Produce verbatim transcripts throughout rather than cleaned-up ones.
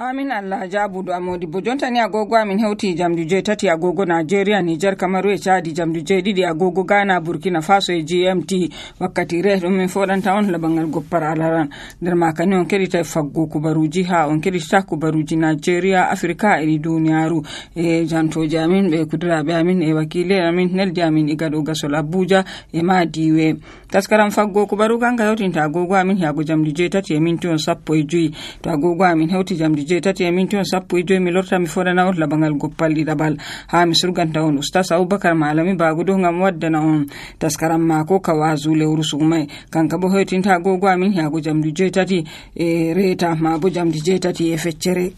Amin Allah jabudu amodi bo jontani agogo amin hewti jamdi jetati agogo Nigeria Niger Kamaru e Chadi jamdi jedidi agogo Ghana Burkina Faso e G M T wakkati re dum min fodanta on labangal goppar alaran der makani on kedita faggo kubaruji ha on kedita kubaruji Nigeria Afrika e duniyaru e jantoji amin be kudrabe amin e wakile amin neldi amin igado gasol Abuja e Madiwe taskaram faggo kubaru kanga hewtinta agogo amin yago jamdi jetati e minti on sappo e joyi to agogo amin hewti jamdi jetati e minti on sappo e joyi mi lorta mi fodana on labangal goppalli dabal ha mi surganta on Ustaz Abubakar Malami bagudo ngam waddana on taskaram mako kawazu lewru sumai kanka bo hewtinta agogo amin yago jamdi jetati e reta ma bo jamdi jetati e feccere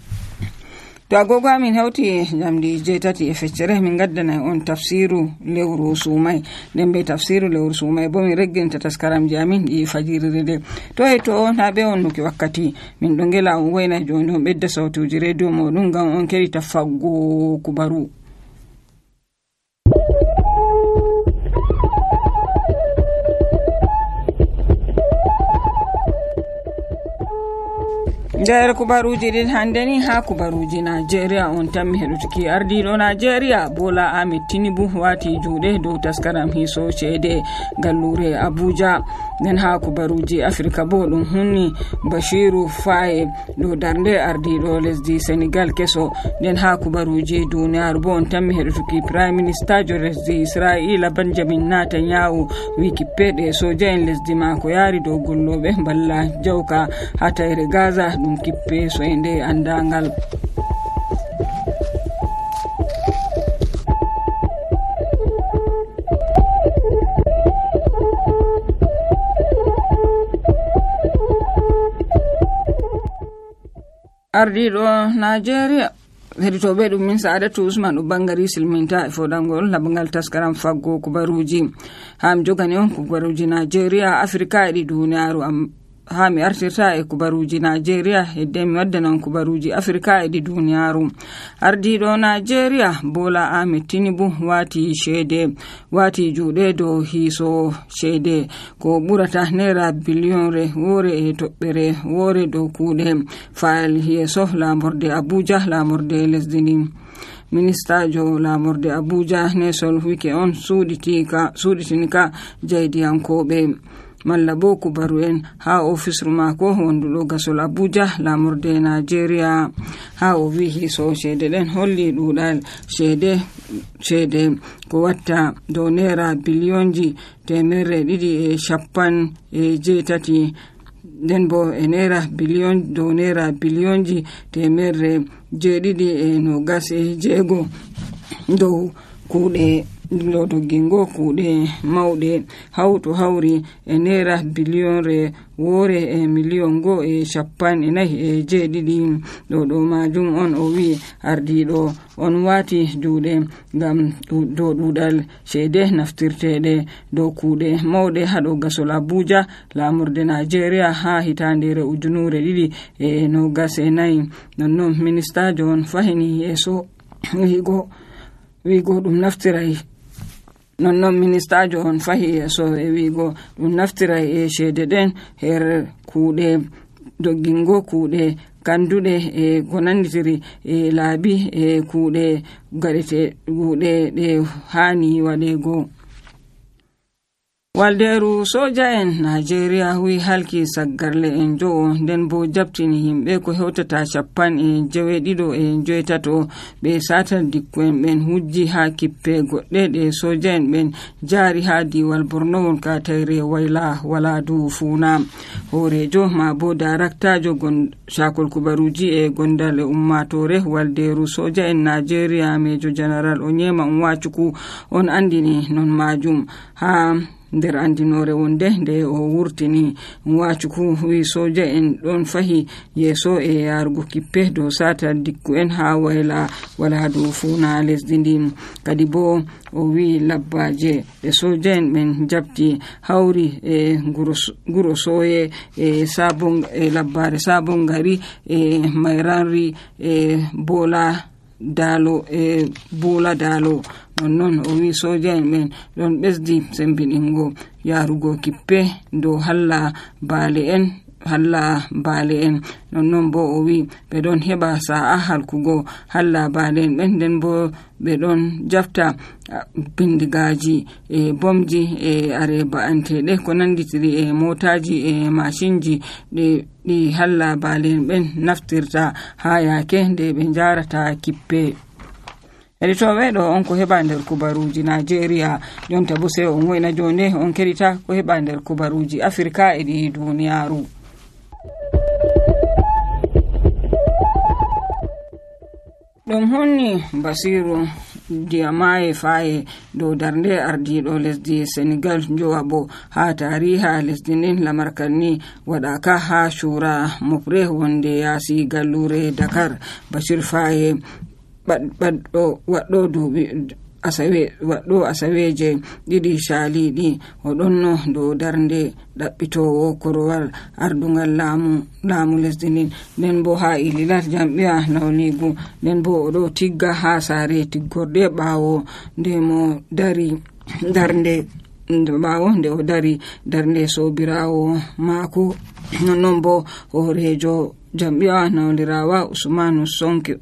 to agogo amin hewti jamdi jetati e feccere min gaddana on tafsiru lewru sumai dembe tafsiru lewru sumai bo mi regginta taskaramji amin di fajirire de to e to na be on nuki wakkati min do ngela on wayna joni on bedda sawtuji radio modum ngam on keri tafaggo kubaru nder kubaruji din handeni ha kubaruji Nigeria on tammi hedutuki ardido Nigeria Bola Ahmed Tinubu wati juude dow taskaram hiso cede gallure Abuja den ha kubaruji Afrika bo dum hunni Bashiru Faye do darnde ardido lesdi Senegal keso den ha kubaruji duniyar bo on tammi hedutuki Prime Minister jo lesdi Israel Benjamin Netanyahu wikipede soja en lesdi mako yari do gollobe balla jawka hatayre Gaza dum kippe so ende andangal ardido Nigeria heditobe dum min Saadatu Usman do bangari silminta e fodangol labangal taskaram faggo kubaruji ham jogani on kubaruji Nigeria Afrika e duniyaaru am ha mi artirta e kubaruji Nigeria e dem waddana kubaruji Afrika e di duniyaaru ardido Nigeria Bola Ahmed Tinubu wati shede wati juude do hiso shede ko burata naira billion re wore e tobbere wore do kuude faal yeso lamorde Abuja lamorde lesdini Minister jo lamorde Abuja ne sol wike on suditika suditinika jaydiyankobe malla bo kubaru en ha office mako wondudo gasol Abuja lamurde Nigeria ha o wi hiso cede den holli dudal cede cede ko watta do naira billionji temere didi e shappan e jetati den bo e naira billion do naira billionji temere jedidi e no gas e jego do kuude lodo gingo kuude maude hawto hawri e naira billion re wore e million go e shappan e nayi e jedidi do do majum on o wi ardido on wati juude ngam do dudal cede naftirtede do kuude maude hado gasol Abuja lamurde Nigeria ha hitandere ujunure didi e no gas e nayi nonnon minister John fahini yeso wigo wigo dum naftirai nonnon minister John fahi so e wigo dum naftirai e cede den her kuude doggingo kuude kandude e gonanditiri e laabi e kuude garete kuude de hani wadego walderu soja en Nigeria wi halki saggarle en jo den bo jabtini himbe ko hewtata chappan e jewedido e joetato be satal dikko en ben hujji ha kippe godde de soja en ben jari ha diwal Borno won ka tayre wayla wala du funa horejo ma bo director jo gon shakol kubaruji e gondale ummatore walderu soja en Nigeria Major General Onyema Nwachuku on andini non majum ha nder andinore wonde nde o wurtini Nwachuku wi soja en don fahi yeso e yargo kippe do sata dikku en ha wayla wala do funa lesdindi kadi bo o wi labbaje e soja en men jabti hawri e guro soye e sabon e labbare sabon gari e mayranri e bola dalo e bola dalo non o wi soja en men don besdi sembidingo yarugo kippe do halla baale en halla baale en nonnon bo o wi ɓe ɗon heɓa sa'a halkugo halla baale en ɓen nden bo ɓe ɗon jafta bindigaji e bomji e are ba'anteɗe ko nanditiri e motaji e mashinji ɗe ɗi halla baale en ɓen naftirta ha yake nde ɓe jarata kippe. Editoɓe ɗo on ko heɓa nder kubaruji Nigeria jonta bo sai on woyna jonde on kerita ko heɓa nder kubaruji Afrika e ɗi duniyaru. ɗum honni Basiru Diomaye Faye dow darnde ardiɗo lesdi Senegal jowa bo ha tariha lesdi nden lamarkan ni waɗaka ha shura mofre wonde yasi gallure Dakar. Bashir Faye baɗɗo waɗɗo duuɓi asawe waɗɗo asaweje ɗiɗi shaliɗi o ɗonno dow darnde ɗaɓɓitowo korowal ardungal laamu laamu lesdi ndin nden bo ha ililat jam'iya nawligu nden bo o ɗo tigga ha saare tiggorde ɓawo nde mo dari darnde ɓawo nde o dari darnde sobirawo maako. Nonnon bo horejo jam'iyawa nawlirawa Usmanu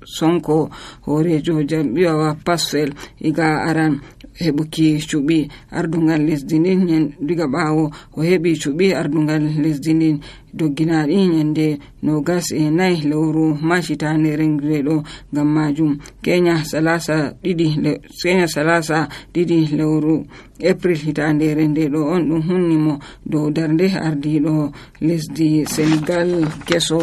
Sonko horejo jam'iyawa Pasfel iga aran heɓuki cuɓi ardungal lesdi ndin diga ɓawo o heɓi cuɓi ardungal lesdi ndin dogginaɗi nyande nogas e nai lewru machitande rengreɗo ngam majum Kenya salasa ɗiɗi Kenya salasa ɗiɗi lewru April hitande rendeɗo on ɗum hunnimo dow darnde ardiɗo lesdi Senegal keso.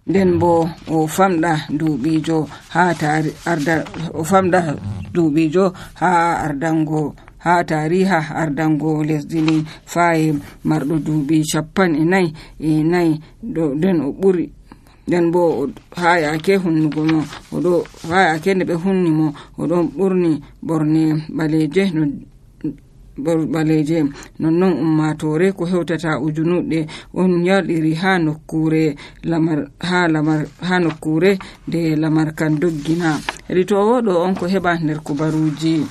nden bo o famɗa duuɓijo ha tari arda o famɗa duuɓijo ha ardango ha tariha ardango lesdi ni Faye marɗo duuɓi cappan e nayi e nayi ɗo nden o ɓuri nden bo ha yake hunnugo mo o ɗo ha yake nde ɓe hunni mo o ɗon ɓurni ɓorne ɓaleje no baleje nonnon ummatore ko hewtata ujunuɗe on yaɗiri ha nokkure lamar ha lamar ha nokkure de lamar kan doggina. Ritowo ɗo on ko heɓa nder kubaruji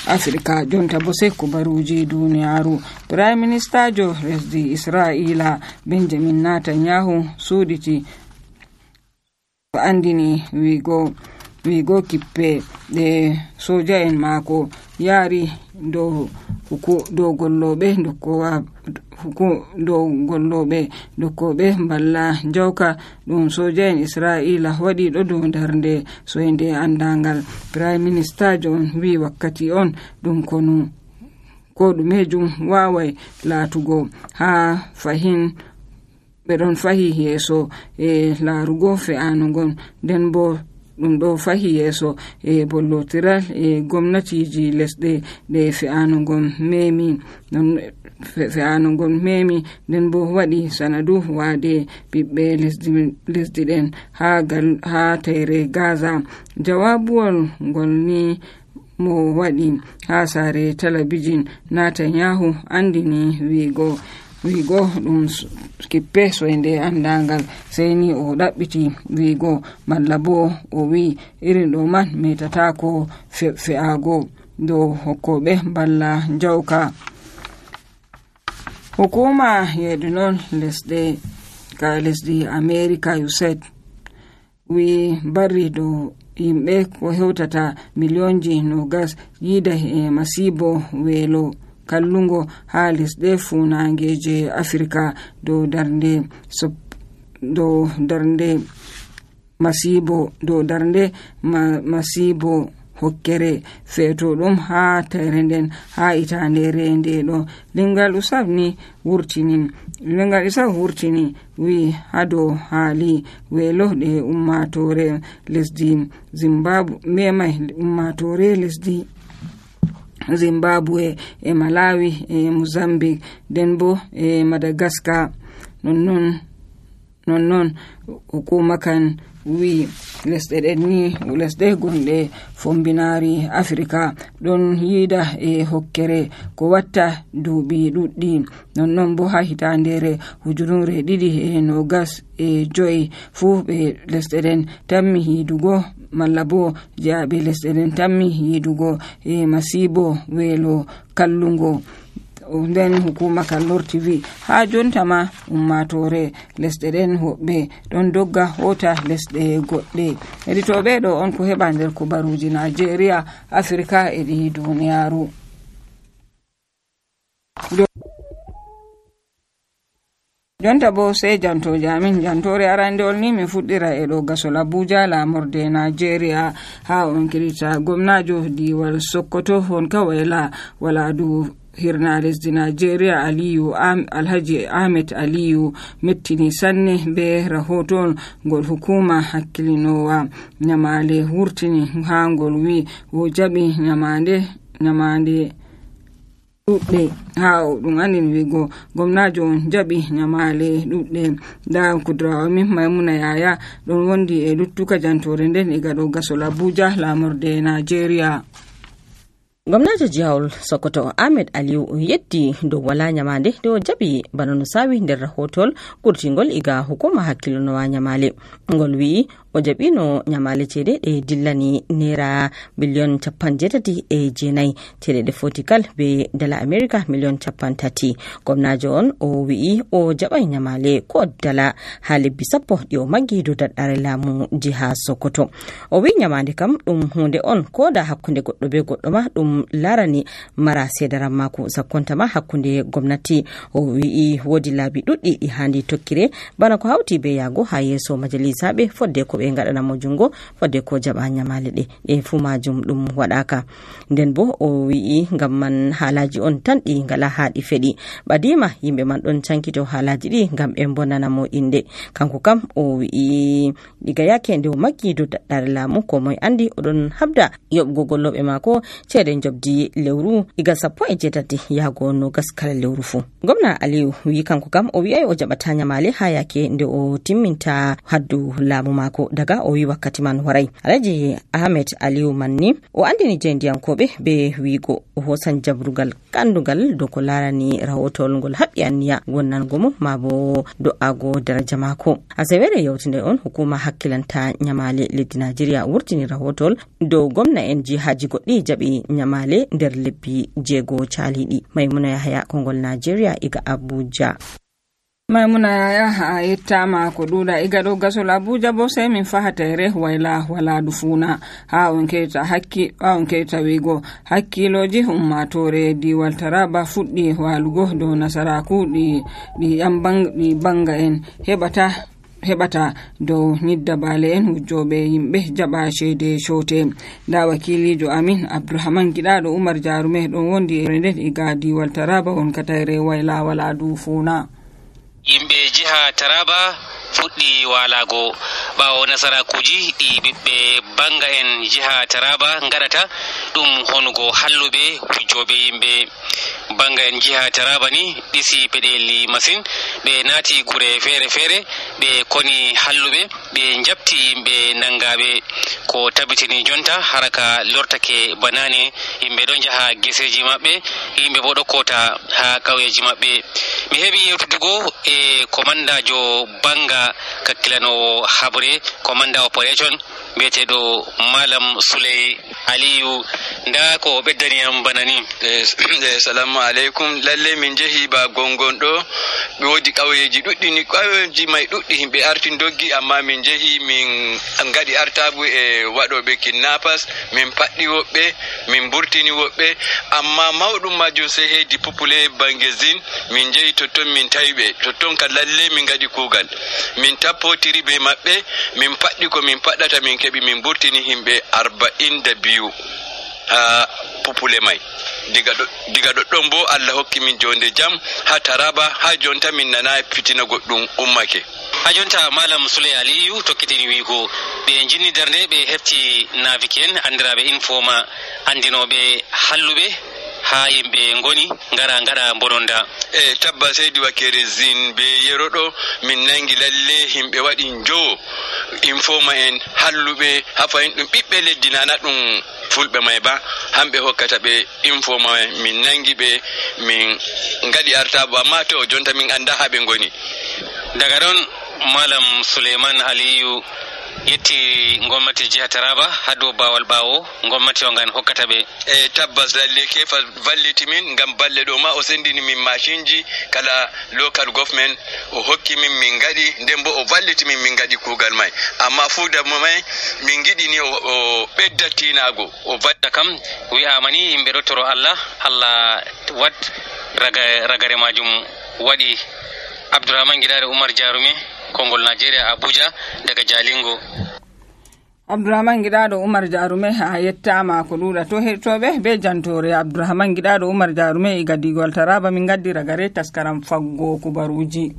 Afrika jonta bo sai kubaruji duniyaru. Prime Minister jo lesdi Israila Benjamin Netanyahu suditi andini wigo wigo kippe de soja en mako yari do huku do gollobe dokkowa huku do gollobe dokkobe balla jawka dum soja en Israila wadi do do darnde soinde andangal. Prime Minister John wi wakkati on dum konu ko dumejum wawai latugo ha fahin ɓe ɗon fahi yeso e laarugo fe'anugon nden bo ɗum ɗo fahi yeso e bollotiral e gomnatiji lesɗe ɗe fe'anugon memi non fe'anugon memi nden bo waɗi sanadu waade ɓiɓɓe lesdi lesdi ɗen ha gal ha tayre Gaza. Jawabuwol ngol ni mo waɗi ha sare talabijin Netanyahu andini wigo wigo ɗum kippe soinde andangal sai ni o ɗaɓɓiti wigo malla bo o wi irin ɗo man metatako fe'ago dow hokkoɓe balla jawka. Hukuma yeedu non lesɗe ka lesdi America U S A I D wi barri dow yimɓe ko hewtata miliyonji nogas yida e masibo weelo kallungo ha lesɗe funangeje Afrika do darnde do darnde masibo do darnde ma, masibo hokkere feeto ɗum ha tayre nden ha itande rende ɗo. Lingal usaf ni wurtini lingal usaf wurtini wi hado haali weelo ɗe ummatore lesdi Zimbabwe memai ummatore lesdi Zimbabwe e Malawi e Mozambique den bo e Madagascar nonnon nonnon hukuma kan wi lesɗe ɗen ni lesɗe gonɗe fombinari Afrika ɗon yida e hokkere ko watta duuɓi ɗuɗɗi nonnon bo ha hitandere ujunure ɗiɗi e nogas e joyi fu ɓe lesɗe ɗen tammi hidugo malla bo jaaɓe lesɗe ɗen tammi yidugo e masibo weelo kallungo nden hukuma kan lorti wi ha jonta ma ummatore lesɗe ɗen hoɓɓe ɗon dogga hota lesɗe goɗɗe. Heɗitoɓe ɗo on ko heɓa nder kubaruji Nigeria, Afrika e ɗi duniyaru. Jonta bo sai jantoje amin. Jantore arandewol ni min fuɗɗira e ɗo gasol Abuja lamorde Nigeria ha on kirita gomnajo diwal Sokoto hon kawayla wala du hirna lesdi Nigeria Aliyu Am, Alhaji Ahmed Aliyu mettini sanne be rahoton ngol hukuma hakkilinowa nyamale wurtini ha ngol wi wo jaɓi nyamande nyamande ɗuɗɗe ha ɗum andini wigo gomnajo on jaɓi nyamale ɗuɗɗe. nda kudrawa min Maimuna Yaya ɗon wondi e luttuka jantore nden e gaɗo gasol Abuja lamorde Nigeria. Gwamnajo jihar Sokoto Ahmed Aliyu yetti dow wala nyamande do jabi bana no sawi nder rahotol kurtingol iga hukuma hakkilonowa nyamale. Ngol wi o jabino nyamale cede e dillani naira biliyon capan jetati e jenai cede de fotikal be dala America miliyon capan tati. Gwamnajo on o wi o jabai nyamale ko dala hali bisappo di o maggi do daddare lamu jiha Sokoto. O wi nyamande kam dum hunde on ko da hakkunde goddo be goddo ma dum larani mara sedaran mako sakkonta ma hakkunde gwamnati. O wi wodi labi duddi di handi tokkire bana ko hauti be yago ha yeso majalisa be fodde ko be ngadana mo jungo fodde ko jaba nyamale de e fu majum dum wadaka. Nden bo o wi ngam man halaji on tan di ngala haadi fedi badima yimbe man don cankito halaji di ngam be bonana mo inde. Kanko kam o wi diga yake nde o maggi do daddare lamu ko moy andi odon habda yobgo gollobe mako cede jobdi lewru iga sappo e jetati yago no gaskala lewru fu. Gwamna Aliyu wi kanko kam o wi ay o jabata nyamale ha yake nde o timminta haddu lamu mako daga o wi wakkati man warai. Alhaji Ahmed Aliyu manni o andini jendiyankobe be wigo o hosan jabrugal kandugal do ko larani rawotol ngol habbi anniya wonnan gomo mabo do ago daraja mako. Asewere yawtinde on hukuma hakkilanta nyamale leddi Nigeria wurtini rawotol do gwamna en jihaji goddi jabi nyamale nder lebbi jego chalidi. Maimuna Yahaya kongol Nigeria iga Abuja. Maimuna Yaya ha yettama ko duda iga do gasol Abuja bo sai min fahatere wayla wala dufuna ha on keta hakki ha on keta wigo hakkiloji ummatore diwal Taraba fuddi walugo do nasaraku di di ambang di banga en hebata hebata do nyidda bale en hujjobe yimbe jaba shede shote. Da wakilijo Amin Abdurrahman Gidado Umar Jarume don wondi e nden iga diwal Taraba on katayre wayla wala dufuna. Yimbe jiha Taraba fuɗɗi walago ɓawo nasarakuji ɗi ɓiɓɓe banga en jiha Taraba ngaɗata ɗum honugo halluɓe hujjoɓe yimɓe banga en jiha Taraba ni ɗisi peɗeli masin. ɓe naati gure fere fere ɓe koni halluɓe ɓe jabti yimɓe nangaɓe ko tabitini jonta haraka lortake banane. yimɓe ɗon jaha geseji maɓɓe, yimɓe bo ɗo kota ha ƙauyeji maɓɓe. mi heɓi yewtudugo e komandajo banga kakkilanowo habre komanda operation biyeteɗo Malam Suley Aliyu. nda ko ɓeddaniyam bana ni. Assalamu alaikum. lalle min jehi ba gongon ɗo ɓe wodi ƙauyeji ɗuɗɗi ni ƙauyeji mai ɗuɗɗi himɓe artin doggi amma min jehi min ngaɗi artabu e waɗoɓe kidnappers min paɗɗi woɓɓe min burtini woɓɓe amma mawɗum majum sai hedi pupule bangezin min jehi totton min tawiɓe totton ka lalle min ngaɗi kugal min tappotiri be maɓɓe min paɗɗi ko min paɗɗata min keɓi min burtini himɓe arba'in da biyu ha pupule mai. diga diga ɗoɗɗon bo Allah hokki min jonde jam ha Taraba ha jonta min nana fitina goɗɗum ummake. ha jonta Malam Suley Aliyu tokkitini wigo ɓe jinni darnde ɓe hefti naviken andiraɓe informa andinoɓe halluɓe ha yimɓe ngoni ngara ngara bononda. e tabba seydi wakere zin be yeroɗo min nangi lalle himɓe waɗi jowo informa en halluɓe ha fayin ɗum ɓiɓɓe leddi nana ɗum fulɓe may ba hamɓe hokkata ɓe informa min nangi ɓe min ngaɗi artabo amma to jonta min anda ha ɓe ngoni. daga ɗon Malam Suleiman Aliyu yetti gomnati jiha Taraba ha dow bawal ɓawo gomnati o ngan hokkata ɓe. e tabbas lalle kefa valliti min ngam balle ɗo ma o sendini min machinji kala local government o hokki min min gaɗi nden bo o valliti min min gaɗi kuugal may amma fuuda mo may min giɗini o ɓedda tinago o vadda kam wi'ama ni yimɓe ɗo toro Allah Allah wat raga ragare majum waɗi. Abdourahmane Gidado Umar Jarume Kongol Nigeria Abuja daga Jalingo. Abdourahmane Gidado Umar Jarume ha yettama ko ɗuɗa to heɗtoɓe be jantore Abdourahmane Gidado Umar Jarume e gadigol Taraba min gaddi ragare taskaram faggo kubaruji.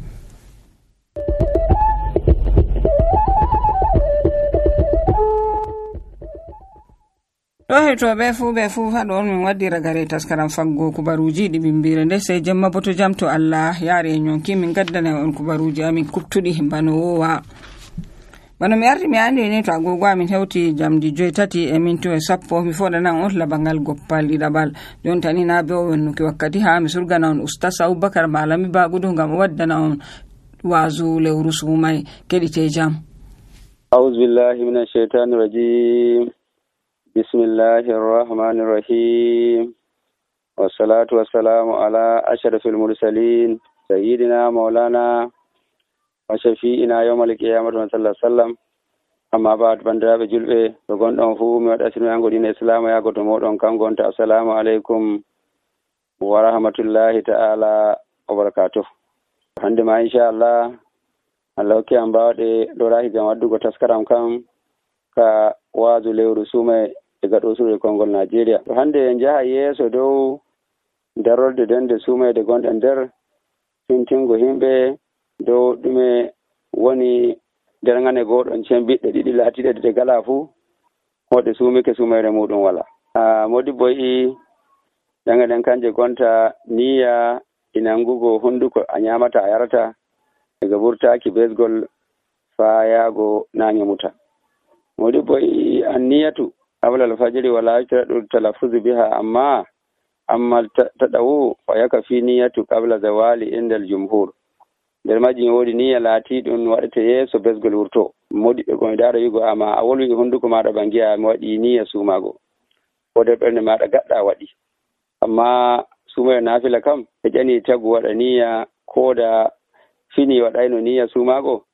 To heɗtoɓe fuu ɓe fuu haɗo on min waddi ragare taskaram faggo kubaruji ɗi bimbire nde sey jemma bo to jam to Allah yaari e nyonki min gaddana on kubaruji amin kuptuɗi bano wowa. Bano mi arti mi andi ni to agogo amin hewti jamdi joytati e minto e sappo mi foɗanan on labangal goppal ɗiɗaɓal jontani na be o wennuki wakkati ha mi surgana on Oustas Aboubakar Malami Bagudu ngam o waddana on wazu lewru sumay keɗite jam. A'udhu billahi minash shaitanir rajim. Bismillahir rahmanir rahim. Wassalatu wassalamu ala ashrafil mursalin sayyidina maulana wa shafi'ina yawmal qiyamati sallallahu alaihi wasallam. Amma ba'd bandiraɓe julɓe to gonɗon fu mi waɗa sinu yango dina islamu yago to moɗon kan gonta assalamu alaikum wa rahmatullahi ta'ala wa barakatuh. Hande ma inshallah Allah hokki am bawɗe ɗo rahi gam waddugo taskaram kam ka wazu lewru sume e gaɗo suure Kongol Nigeria. To hande en jaha yeeso dow darolde dende sumede gonɗe nder fintingo himɓe dow ɗume woni derngane goɗon cembiɗɗe ɗiɗi laatiɗe ɗe gala fuu hoɗe sumike sumere muɗum wala. Modi boyi ɗanga ɗen kanje gonta niya inangugo hunduko a nyamata a yarata daga burtaki besgol fa yago nange muta. Modi boyi anniyatu qabla al-fajr wala yajradu talaffuzu biha amma amma tadawu fa yakafi niyatu qabla zawali inda al-jumhur. Der majin wodi niyya laati ɗum waɗete yeeso besgol wurto modi ɓe gon daro yugo amma a wolwi hunduko maɗa bangiya mi waɗi niyya sumago ko der ɓernde maɗa gaɗɗa waɗi amma sumere nafila kam e ƴani tagu waɗa niyya ko da fini waɗayno niyya sumago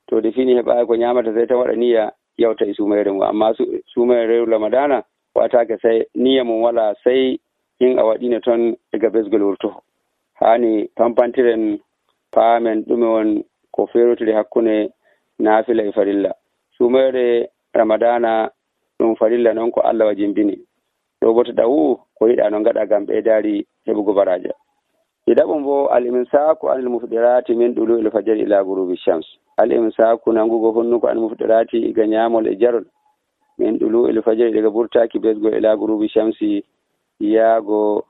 to de fini heɓa ko ñamata sai ta waɗa niyya yawta e sumere mum amma sumere rew ramadana watake sai niyya mum wala sai in a waɗino ton daga besgol wurto. Hani pampantiren paamen ɗume won ko ferotiri hakkunde naafila e farilla. Sumere ramadana ɗum farilla noon ko Allah wajimbini ɗo bo to ɗawu ko yiɗa no gaɗa gam ɓeydari heɓugo baraja. Ɗiɗaɓum bo al-imsaku anil mufdirati min ɗulu il fajr ila gurubi shams. Al-imsaku nangugo honnuko anil mufdirati iga nyamol e jarol min ɗulu il fajr daga burtaki besgo ila gurubi shamsi yaago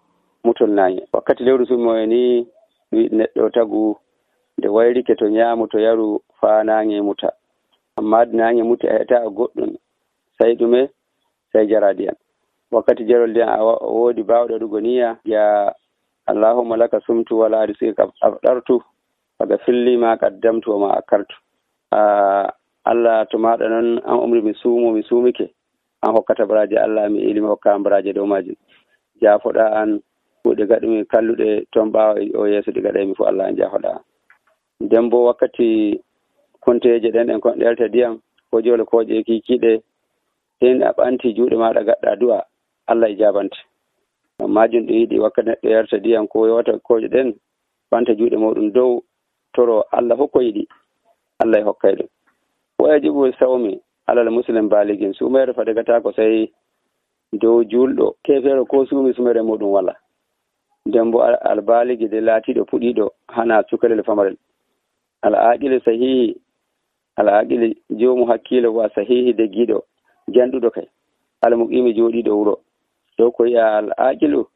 mutol nayi. Wakkati lewru sumo ni neɗɗo tagu nde wayrike to ñaamu to yaru fa nange muta amma nange muta heta goɗɗum sai ɗume sai jaradiyan. Wakkati jarol den a woodi bawɗo waɗugo niyya ya Allahumma laka sumtu wala rizqika afdartu faga filli ma qaddamtu wa ma akartu. Allah to maɗa noon an umri mi suumo mi suumike an hokkata baraje Allah mi ilimi hokka baraje dow majum jaafoɗa an kuuɗe gaɗumi kalluɗe ton ɓaawa o yeeso ɗi gaɗaymi fu Allah an jaafoɗa an. Nden bo wakkati konteje ɗen ɗen kon ɗelta ndiyam ko jole kooƴe kikiɗe hen a ɓanti juuɗe maɗa gaɗɗa du'a Allah e jabante. Majum ɗo yiɗi wakkati neɗɗo yarta ndiyam ko yewata kooƴe ɗen ɓanta juuɗe muɗum dow toro Allah hokko yiɗi Allah e hokkay ɗum. Wajibu sawmi alal muslim baligin sumere fadagata ko sai dow julɗo kefere ko sumi sumere muɗum wala. Nden bo albaligi de laatiɗo puɗiɗo hana cukalel famarel. Al'aqil sahihi al'aqil jomu hakkilo wa sahihi de giɗo janduɗo kay almuqimi joɗiɗo wuro dow ko yi'a al'aqilu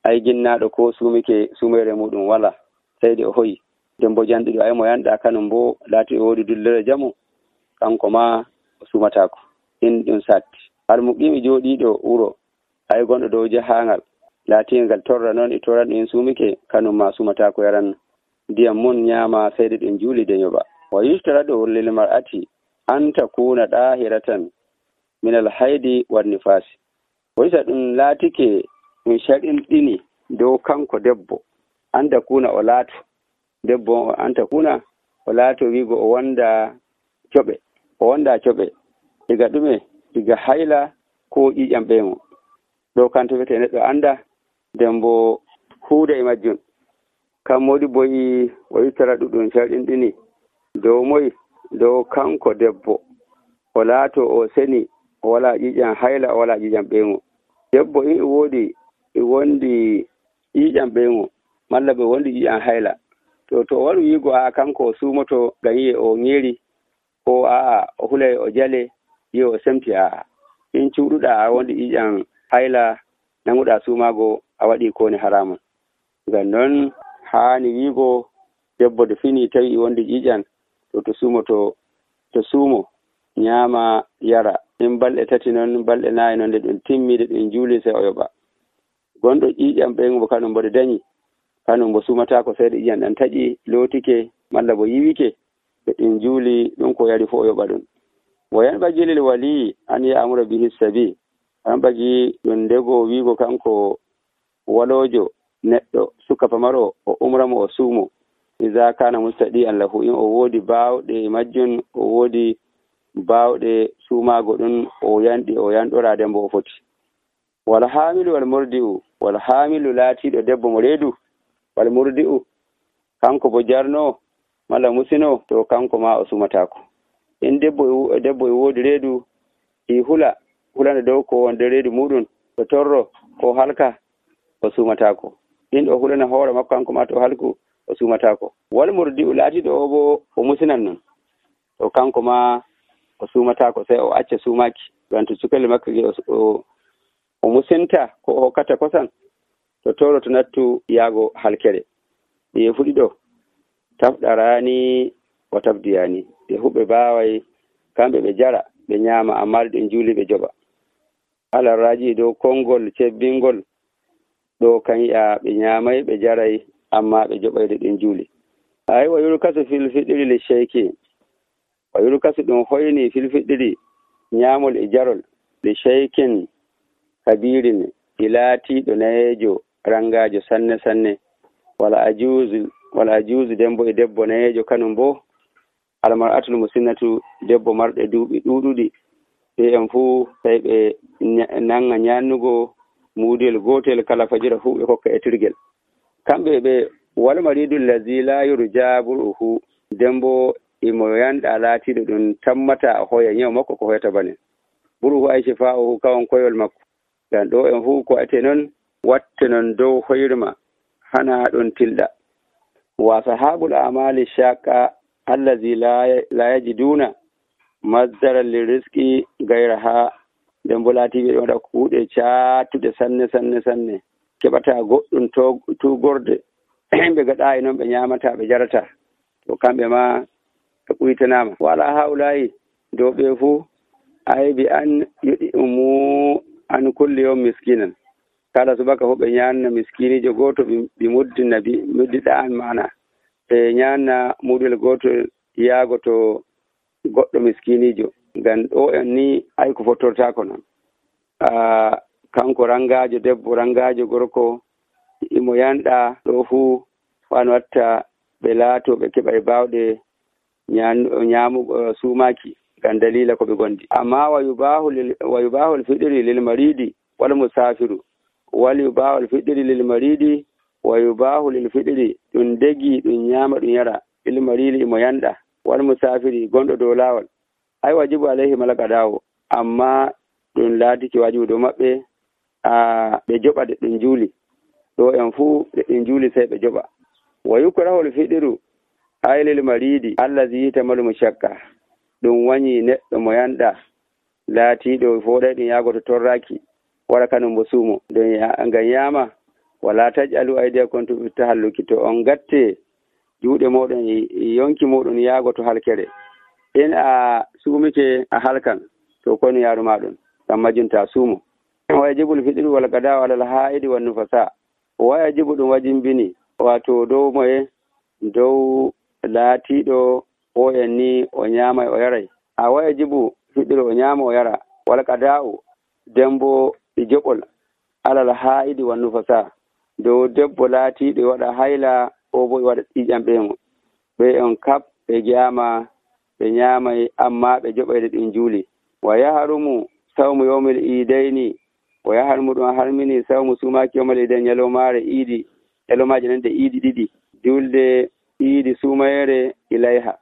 ay ginnaɗo ko sumike sumere muɗum wala sai de o hoyi. Nden bo janduɗo ay mo yanɗa kanum bo laati o wodi dullere jamu kanko ma o sumatako in ɗum satti. Almuqimi joɗiɗo wuro ay gonɗo dow jahangal laatingal torra noon e torran en sumike kanum ma sumata ko yaran ndiyam mun ñaama seyde ɗen juuli de yoɓa. Wa yustara ɗo lil mar'ati an takuna dahiratan min alhaidi wan nifasi waysa ɗum laatike ɗum sharɗinɗini dow kanko debbo an takuna o laato debbo an takuna o laato wiigo o wonda coɓe o wonda coɓe diga ɗume diga hayla ko ƴiƴam ɓeymo ɗo kanto wiyete neɗɗo anda nden bo huuda e majjum kam modi boyi o yittara ɗuɗɗum sharɗinɗini dow moyi dow kanko debbo o laato o seni o wala ƴiƴam hayla o wala ƴiƴam ɓeymo debbo in e woodi e wondi ƴiƴam ɓeymo malla ɓe wondi ƴiƴam hayla to to waɗu wiigo a kanko o suumoto ngam yiye o ŋeeri ko aa o hulay o jale yiye o semti aa in cuuɗuɗa a wondi ƴiƴam hayla nanguɗa suumaago a waɗi kowoni haramun ngam noon haani wiigo debbo de fini tawi i wondi ƴiƴam to to suumoto to suumo ñaama yara in balɗe tati noon balɗe naayi noon nde ɗum timmiide ɗum juuli sey o yoɓa gonɗo ƴiƴam ɓeymo bo kanum mboɗo dañi kanum bo suumataako seeɗa ƴiƴam ɗan taƴi lootike malla bo yiwike ɓe ɗum juuli ɗum ko yari fof o yoɓa ɗum wo yanɓagii lil walii an ya'mura bihi sabi yanɓagii ɗum ndego wiigo kanko waloojo neɗɗo suka pamaro o umramo o suumo iza kana mustadi an lahu in o woodi baawɗe majjum o woodi baawɗe suumaago ɗum o yanɗi o yanɗora nden bo o foti wal haamilu wal murdi'u wal haamilu laatiiɗo debbo mo reedu wal murdi'u kanko bo jarno malla musino to kanko ma o sumataako in debbo debbo e woodi reedu i hula hulana dow ko wonde reedu muɗum to torro ko halka o sumataako in o hulana hoore makko kanko ma to halku o sumataako wal murdi'u laatiiɗo o bo o musinan non to kanko ma o sumataako sey o acca suumaki ngam to cukelle makko ge o o musinta ko o hokkata kosan to toro to nattu yaago halkere ye fuɗi ɗo tafɗarani o tafdiyani ɓe huɓɓe baaway kamɓe ɓe jara ɓe ñaama amma ɗum juuli ɓe joɓa alarraji dow konngol cebbingol ɗo kan yi'a ɓe ñaamay ɓe jaray amma ɓe joɓayde ɗum juuli ay wa yurkasu fil fiɗiri li sheyki wa yurkasu ɗum hoyni fil fiɗiri ñaamol e jarol li sheykin kabirin ilaatiɗo nayeejo rangaajo sanne sanne wala ajuuzu wala ajuuzu dembo e debbo nayeejo kanum bo almar'atul musinnatu debbo marɗe duuɓi ɗuuɗuɗi ɓe en fuu tawi ɓe nanga ñannugo muudel gootel kala fajira fuu ɓe kokka e tirgel kamɓe ɓe wal maridu allazi la yurja bur'uhu dembo imo yanɗa laatiɗo ɗum tammata hoya ñaw makko ko hoyata bane bur'uhu ay shifa'uhu kawon koyol makko ngam ɗo en fuu ko ate noon watte noon dow hoyrma hana ɗon tilɗa wa sahabul amali shaqa allazi la yajiduna mazdara lirizqi gayraha nden bo laatiɓe ɗo waɗa kuuɗe caatuɗe sanne sanne sanne keɓata goɗɗum tugorde ɓe gaɗa e noon ɓe ñamata ɓe jarata to kamɓe ma ɓe ɓuytanama wala hawlayi dow ɓe fuu aybi an yiɗi umu an kulli yawm miskinan kala subaka fof ɓe ñanna miskinijo goto ɓe muddina bi muddiɗa an mana ɓe ñanna muɗel goto yaago to goɗɗo miskinijo ngam ɗo en ni ay ko fottortako noon a kanko rangajo debbo rangajo gorko imo yanɗa ɗo fuu wan watta ɓe laato ɓe keɓa e bawɗe ñamugo suumaki ngam dalila ko ɓe gondi amma wa yubahul fiɗiri lil maridi wal musafiru wal yubahul fiɗiri lil maridi wa yubahu lil fiɗiri ɗum degi ɗum ñama ɗum yara lil maridi imo yanɗa wal musafiri gonɗo dow lawol ay wajibu alayhi malaka dawo amma ɗum laatiki wajibu dow maɓɓe a ɓe joɓa de ɗum juuli ɗo en fuu de ɗum juuli sey ɓe joɓa wa yukrahul fiɗiru ay lil maridi allazi tamalu mushakka ɗum wañi neɗɗo mo yanɗa laatiɗo foɗay ɗum yaago to torraki wara kanum bo suumo ɗum ngam yama wala tajalu aydiyakum to tahalluki to on gatte juuɗe moɗon yonki moɗon yaago to halkere in a suumike a halkan to kono yaaruma ɗum ngam majjunta suumo wayjibul fiɗiru wal gada alal haidi wan nufasa wayajibu ɗum wajimbini wato dow moye dow laatiɗo o en ni o ñaamay o yaray a waya jibu fiɗiro o ñaama o yara wala qada'u dembo e joɓol alal haa'idi wan nufasa dow debbo laatiiɗo e waɗa hayla o bo e waɗa ƴiƴam ɓeemo ɓe on kap ɓe jama ɓe ñaamay amma ɓe joɓayde ɗin juuli wa yaharumu sawmu yawmil iidayni o yaharumu ɗum harmini sawmu sumaaki yawmal iidayn ñalomaare iidi ñalomaaje nande iidi ɗiɗi julde iidi sumayere ilayha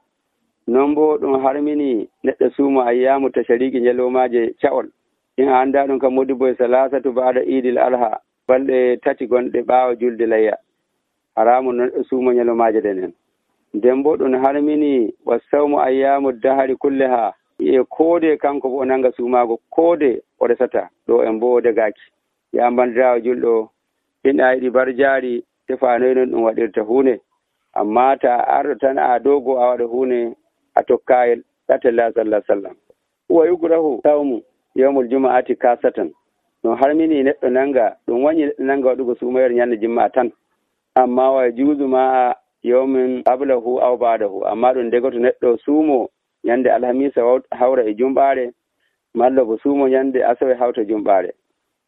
non bo ɗum harmini neɗɗo suuma ayyamu tashariki ñalomaaje ca'ol in a annda ɗum kam modi boye salasatu baada iidil alha balɗe tati gonɗe ɓaawa julde layya haramu neɗɗo suuma ñalomaaje ɗen en nden bo ɗum harmini wa sawmu ayyamu dahari kulle ha e koode kanko bo o nanga suumaago koode o resata ɗo en bo degaki ya bandirawo julɗo ina yiɗi barjaari tefanoy non ɗum waɗirta huunde amma ta arɗo tan a dogo a waɗa huunde a tokkayel ɗatella sallah sallam wa yukrahu sawmu yawmul juma'ati kasatan ɗum harmini neɗɗo nanga ɗum wañi neɗɗo nanga waɗugo suumayere ñande jimma tan amma wa juuzu ma yawmin qablahu aw ba'dahu amma ɗum degoto neɗɗo suumo ñande alhamisa hawra e jumɓaare malla bo suumo ñande asawe hawta jumɓaare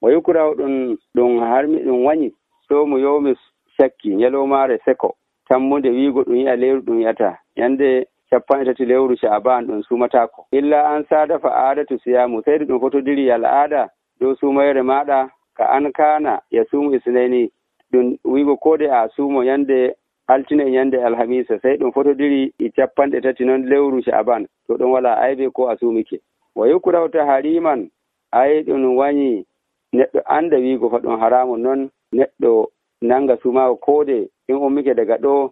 wa yukrahu ɗum ɗum harmi ɗum wañi sawmu yawmi sakki ñalomaare seko tammude wiigo ɗum yi'a lewru ɗum yiyata ñande capanɗe tati lewru sha'ban ɗum suumatako illa an sada fa adatu siyamu seydi ɗum fotodiri al'aada dow suumayere maɗa ka an kana ya suumu isnayni ɗum wiigo koode a suumo ñande altine e ñande alhamisa sey ɗum fotodiri e capanɗe tati noon lewru sha'ban to ɗum wala aybe ko a suumike wa yukrahu tahriman ay ɗum wañi neɗɗo anda wiigo fa ɗum haramu noon neɗɗo nanga suumago koode in ummike daga ɗo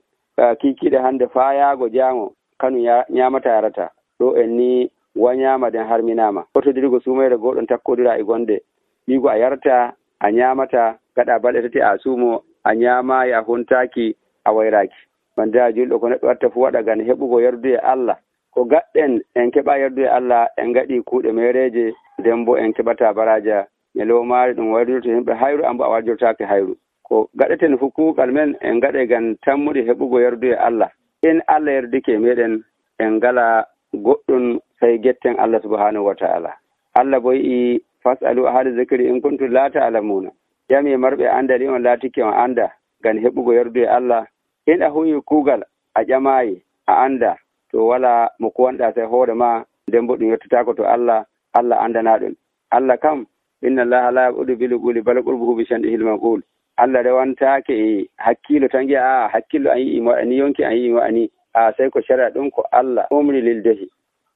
kikiɗe hande faayago jaango kanu ñamata yarata ɗo en ni wañama den harminama fotodirgo sumayre goɗon takkodira e gonde wiigo a yarta a ñamata gaɗa balɗe tati a suumo a ñamayi a huntaki a wayraki bandira julɗo ko neɗɗo watta fu waɗa gan heɓugo yardude Allah ko gaɗɗen en keɓa yardude Allah en gaɗi kuuɗe mereje nden bo en keɓata baraja ñalowmaare ɗum wayrdirto yimɓe hayru ambo a warjortaki hayru ko gaɗeten fu kuugal men en gaɗe gan tammude heɓugo yardude Allah in Allah yardike meɗen en ngala goɗɗum say getten Allah subhanahu wa ta'ala Allah bo yi fasalu ahli zikri in kuntum la ta'lamuna jami marɓe andali on laatike on anda gan heɓugo yardude Allah in a huwi kuugal a ƴamayi a anda to wala mo kuwanɗa say hoore ma nden bo ɗum yettatako to Allah Allah andana ɗum Allah kam inna allaha la yaqudu bil quli bal qurbuhu bi shandihi al maqul Allah rewantake e hakkilo tan gi'a a hakkilo an yi mo ani yonki an yi mo ani a sai ko shara ɗum ko Allah umri lil dahi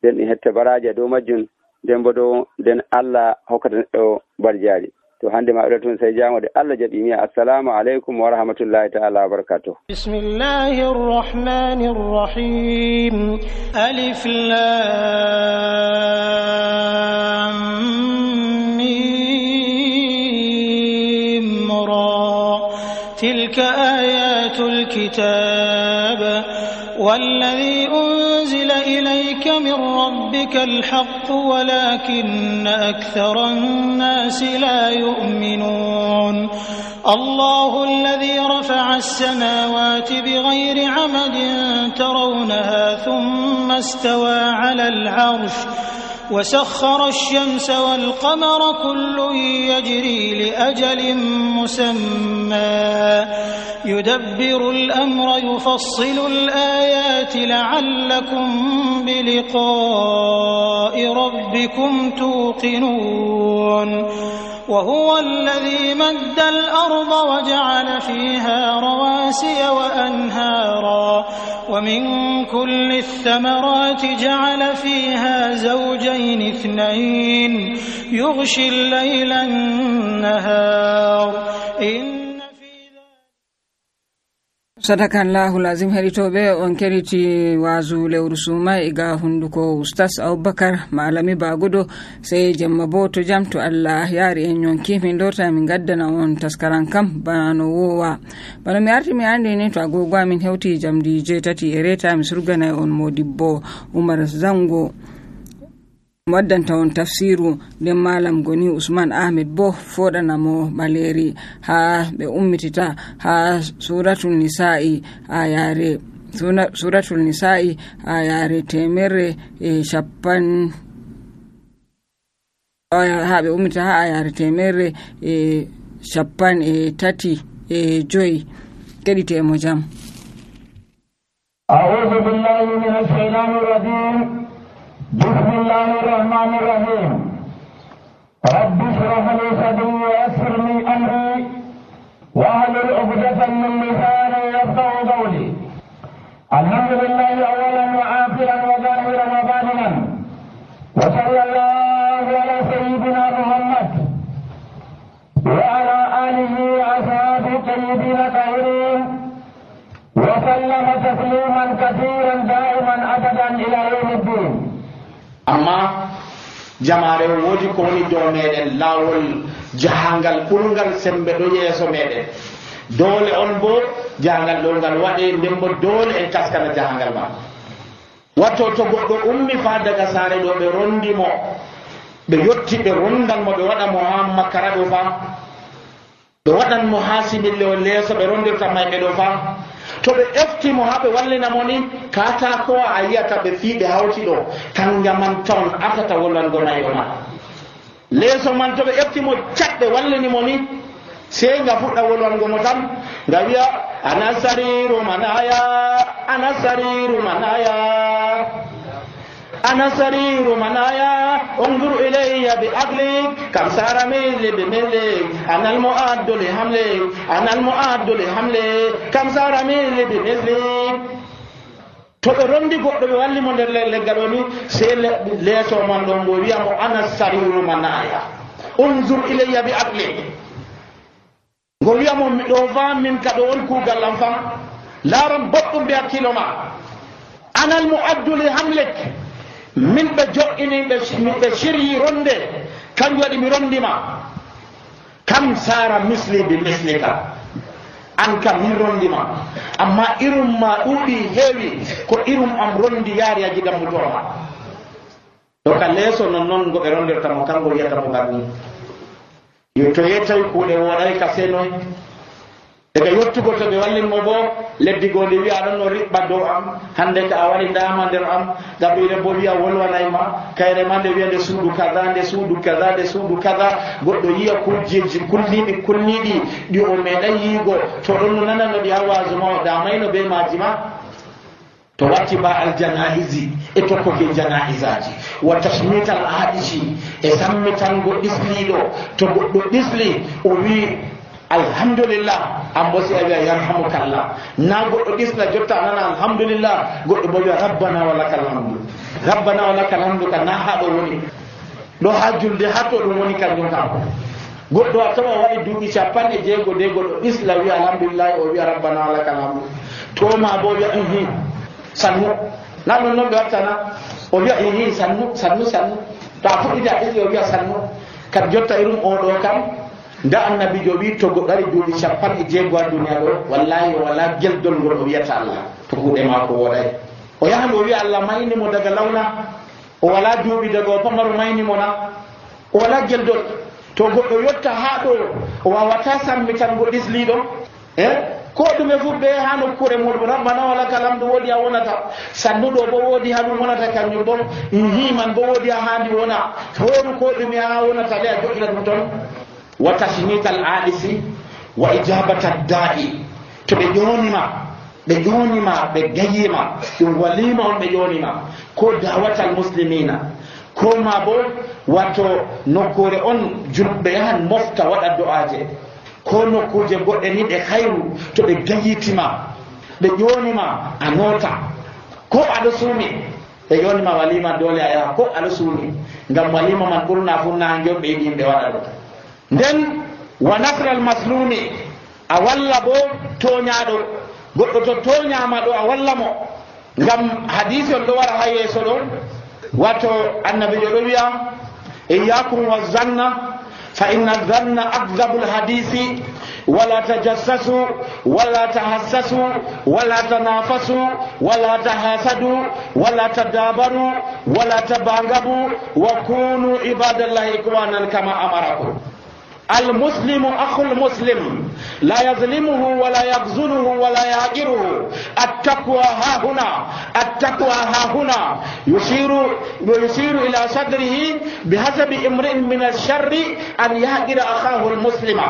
den ɗi hetta baraja dow majjum nden bo dow nden Allah hokkata neɗɗo barjaari to hande ma ɗo tun sai jamode Allah jaɓi mi assalamu alaikum wa rahmatullahi ta'ala wa barakatuh bismillahir rahmanir rahim alif lam mim ra tilka ayatul kitab والذي أنزل إليك من ربك الحق ولكن أكثر الناس لا يؤمنون الله الذي رفع السماوات بغير عمد ترونها ثم استوى على العرش وسخر الشمس والقمر كل يجري لأجل مسمى يدبر الأمر يفصل الآيات لعلكم بلقاء ربكم توقنون وهو الذي مد الأرض وجعل فيها رواسي وأنهارا ومن كل الثمرات جعل فيها زوجين اثنين يغشي الليل النهار إن sadakallahu lazim heritoɓe on keriti wazu lewru suma iga hunduko ustas aboubacar malami bagudo sey jemma bo to jam to Allah yaari en yonki min dorta min gaddana on taskaran kam bana no wowa bana mi arti mi andi ni to agogo amin hewti jamdi jeetati e reta mi surgana on modibbo Umar Zango waddanta on tafsiru nden malam goni Usman Ahmed bo foɗanamo ɓaleri ha ɓe ummitita ha suratul nisa'i ayare suratul nisa'i ayare temerre e shappan ha ɓe ummita ha ayare temerre e shappan e tati e joyi keɗitemo jam. أعوذ بالله من الشيطان الرجيم بسم الله الرحمن الرحيم رب اشرح لي صدري ويسر لي أمري واحلل عقدة من لساني يفقهوا قولي الحمد لله أولا وآخرا وظاهرا وباطنا وصلى الله على سيدنا محمد وعلى آله وأصحابه الطيبين الطاهرين وسلم تسليما كثيرا دائما أبدا إلى يوم الدين. أما jamaare woodi ko woni dow meɗen laawol jahangal ɓurgal sembe ɗo yeeso meɗen doole on bo jahangal ɗo ngal waɗe nden bo doole en kaskana jahangal ma watto to goɗɗo ummi fa daga saare ɗo ɓe rondimo ɓe yotti ɓe rondan mo ɓe waɗa mo ha makkara ɗo fa ɓe waɗan mo ha simille o leeso ɓe rondirta mayɓe ɗo fa to ɓe eftimo ha ɓe wallina mo ni katakowa a yiyata ɓe fii ɓe hawti ɗo kanga man tawn atata wolwango nayo ma leeso man to ɓe eftimo cat ɓe wallini mo ni sey nga fuɗɗa wolwango mo tan nga wiya ana sariru manaya ana sariru manaya ana sariru manaya unzur ilayya bi aqlik kam sara mili bi mili ana al mu'addu li hamli ana al mu'addu li hamli kam sara mili bi mili to ɓe rondi goɗɗo ɓe walli mo nder leggal o ni sey leeso man ɗon ngo wiya mo ana sariru manaya unzur ilayya bi aqlik ngo wiya mo miɗo fa min ka ɗo on kuugal am fam laaran boɗɗum mbi hakkilo ma ana al mu'addu li hamlik min ɓe jo'ini ɓe siryi ronde kanjum waɗi mi rondima kam sara misli bi mislika an kam min rondima amma irum ma ɗuuɗi heewi ko irum am rondi yaari a jigam mutoroma to ka leeso non noon ngo ɓe rondirtamo kanko wiyatamo garni yo to yettawi kuuɗe woɗay ka senoy daga yottugo to ɓe wallinmo bo leddi goo ndi wiya ɗon no riɓɓa dow am hannde ka a wari ndama nder am gaɓɓire bo wiya wolwanayma kayre ma nde wiya nde suudu kaza nde suudu kaza nde suudu kaza goɗɗo yiya kujjeji kulniɗi kulniɗi ɗi o meeɗay yiigo to ɗon no nanano ɗi ha wasu ma o damayno be maji ma to watti ba al janaisi e tokkoke janaisaji wa tasmital aɗici e sammitango ɗisliɗo to goɗɗo ɗisli o wi alhamdulillah an bo si a wiya yarhamukallah na goɗɗo ɗisla jotta nana alhamdulillah goɗɗo bo wiya rabbana wa lakal hamdu rabbana wa lakal hamdu ka na ha ɗo woni ɗo ha julde ha to ɗum woni kanjum kam goɗɗo a tawa waɗi duuɓi capanɗe jeego de goɗɗo ɗisla wiya alhamdulillah o wiya rabbana wa lakal hamdu to ma bo wiya ihi sannu na ɗum noon ɓe wattana o wiya ihi sannu sannu sannu to a fuɗɗita ɗisli o wiya sannu kadi jotta irum oɗo kam nda annabijo wi to goɗɗo ari duuɓi capanɗe jeego ha duniya ɗo wallahi wala geldol ngol o wiyata allah to kuuɗe maako woɗay o yahan o wiya allah maynimo daga lawna o wala duuɓi daga o pamaru maynimo na o wala geldol to goɗɗo yotta ha ɗo o wawata sammitango ɗisliɗo e ko ɗume fu ɓe ha nokkure muɗum rabbana wala kalamdu woodi ha wonata sannuɗo bo woodi ha ɗum wonata kañum bo himan bo woodi ha handi wona horu ko ɗume ha wonata le a joƴina ɗum toon wa tasmital aɗisi wa ijabata da'i to ɓe ƴonima ɓe ƴonima ɓe gayima ɗum walima on ɓe ƴonima ko dawatal muslimina ko ma bo wato nokkure on julɓe yahan mofta waɗa do'aje ko nokkuje goɗɗe ni ɗe hayru to ɓe gayitima ɓe ƴonima a nota ko aɗa suumi ɓe ƴonima walima dole a yaha ko aɗa suumi ngam walima man ɓurna fu nangue ɓe yiɗi yimɓe waɗa ɗo nden wa nasral maslumi a walla bo toñaɗo goɗɗo to toñama ɗo a walla mo ngam hadise on ɗo wara ha yeeso ɗo wato annabijo ɗo wiya iyakum wa zanna fa inna zanna akdabul hadisi wala tajassasu wala tahassasu wala tanafasu wala tahasadu wala tadabaru wala tabangabu wa kunu ibadallahi ikwanan kama amarakum المسلم أخو المسلم لا يظلمه ولا يخذله ولا يهجره. التقوى ها هنا، التقوى ها هنا. يشير يشير إلى صدره بحسب امرئ من الشر أن يهجر أخاه المسلم.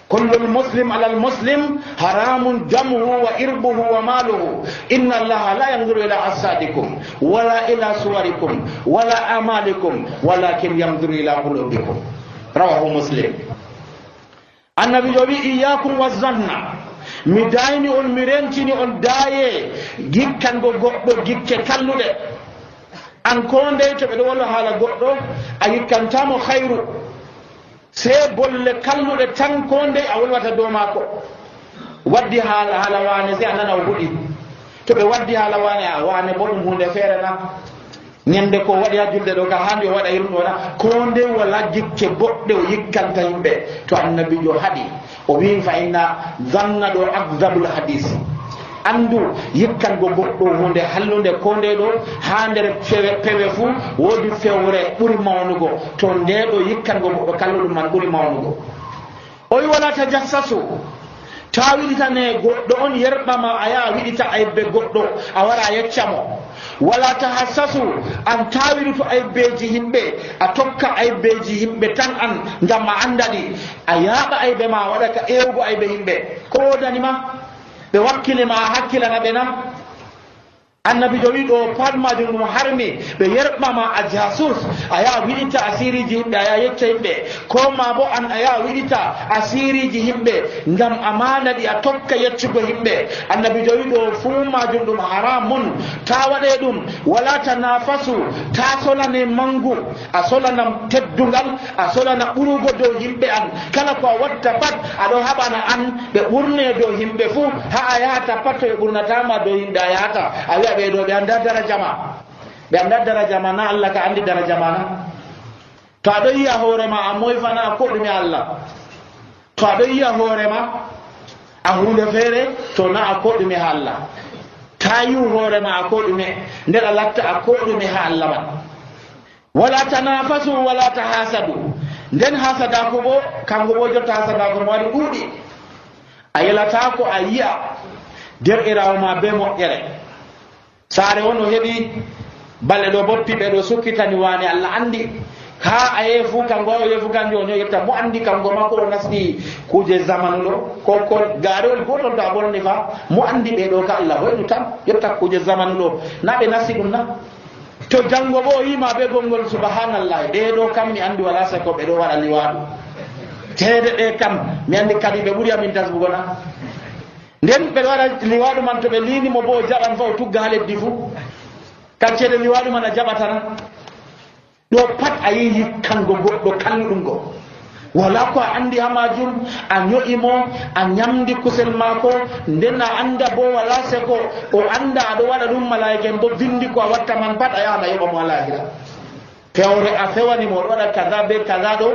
كل المسلم على المسلم حرام دمه وإربه وماله. إن الله لا ينظر إلى أجسادكم ولا إلى صوركم ولا أعمالكم ولكن ينظر إلى قلوبكم. رواه مسلم. النبي جوبي إياكم والظن mi dayni on mi rentini on daaye gikkango goɗɗo gikke kalluɗe. an ko ndey to ɓeɗo walla haala goɗɗo a gikkantamo hayru, sey bolle kalluɗe tan ko ndey a wolwata dow maako. waddi haala haala waane sey a nana o huɗi. to ɓe waddi haala waane a waane bo ɗum hunde feere na. ñande ko waɗi ha julde ɗo ka handi o waɗa irum ɗona ko nde wala jikke boɗɗe o yikkanta yimɓe. to annabijo haɗi o wi fa inna zanna ɗo akdabul hadis. andu yikkango goɗɗo hunde hallunde ko nde ɗo ha nder pewe fuu woodi fewre ɓuri mawnugo. to nde ɗo yikkango goɗɗo kalluɗum man ɓuri mawnugo. o wi wala tajassasu, ta wiɗitane goɗɗo on yerɓama a yaha wiɗita aybe goɗɗo a wara a yeccamo. wala tahassasu, an tawiru to aybeji himɓe a tokka aybeji himɓe tan an ngam a andaɗi. a yaaɓa aybe ma waɗa ka ewugo aybe himɓe. ko wodanima ɓe wakkilima a hakkilana ɓe na. annabi jo wi ɗo pat majum ɗum harmi ɓe yerɓama a jasus a yaha wiɗita asiriji himɓe a yaha yecca yimɓe, ko ma bo an a yaha wiɗita asiriji himɓe ngam amana ɗi a tokka yeccugo yimɓe. annabi jo wi ɗo fuu majum ɗum haramun, ta waɗe ɗum. wala tanafasu, ta solane mangu, a solanam teddungal, a solana ɓurugo dow yimɓe an. kala ko a watta pat aɗo haɓana an ɓe ɓurne dow yimɓe fuu. ha a yahata pat to ɓe ɓurnatama dow yimɓe a yahata a wiya ɓe ɗo ɓe anda daraja ma, ɓe anda daraja ma na. Allah ka andi daraja ma na. to aɗo yiya hoorema a moyfana a koɗume Allah. to aɗo yiya hoorema a hunde feere to na a koɗume ha Allah. ta yiw hoorema a koɗume nder a latta a koɗume ha Allah man. wala tanafasu wala tahasadu. nden hasadako bo kanko bo jotta hasadako mo waɗi ɗuuɗi. a yelata ko a yiya derɗirawo ma be moƴƴere. saare won o heɓi balle ɗo boppi ɓe ɗo sukkitani waane Allah andi. ha a yeefu kanko o yeefu kanjo on yetta mo andi kanko makko ɗo nasɗi kuje zamanu ɗo ko ko gaarewol gotol to a bonni fa mo andi ɓe ɗo ka Allah hoynu tan yetta kuje zamanu ɗo na ɓe nasti ɗum na. to janngo bo o yima be gongol subhanallah ɗe ɗo kam mi andi wala sako ɓe ɗo waɗa liwaɗu. teede ɗe kam mi andi kadi ɓe ɓuri amin tasbugo na. nden ɓe waɗa liwaɗu man to ɓe linimo bo o jaɓan fa o tugga ha leddi fuu. kaccede liwaɗu man a jaɓatana. ɗo pat a yi yikkango goɗɗo kalluɗum go. wala ko a andi ha majum a ño'imo a ñamdi kusel maako nden a anda bo wala seko o anda aɗo waɗa ɗum malaika en bo vindi ko a watta man pat a yahan a yoɓa mo alahira. fewre a fewanimo oɗo waɗa kaza be kaza ɗo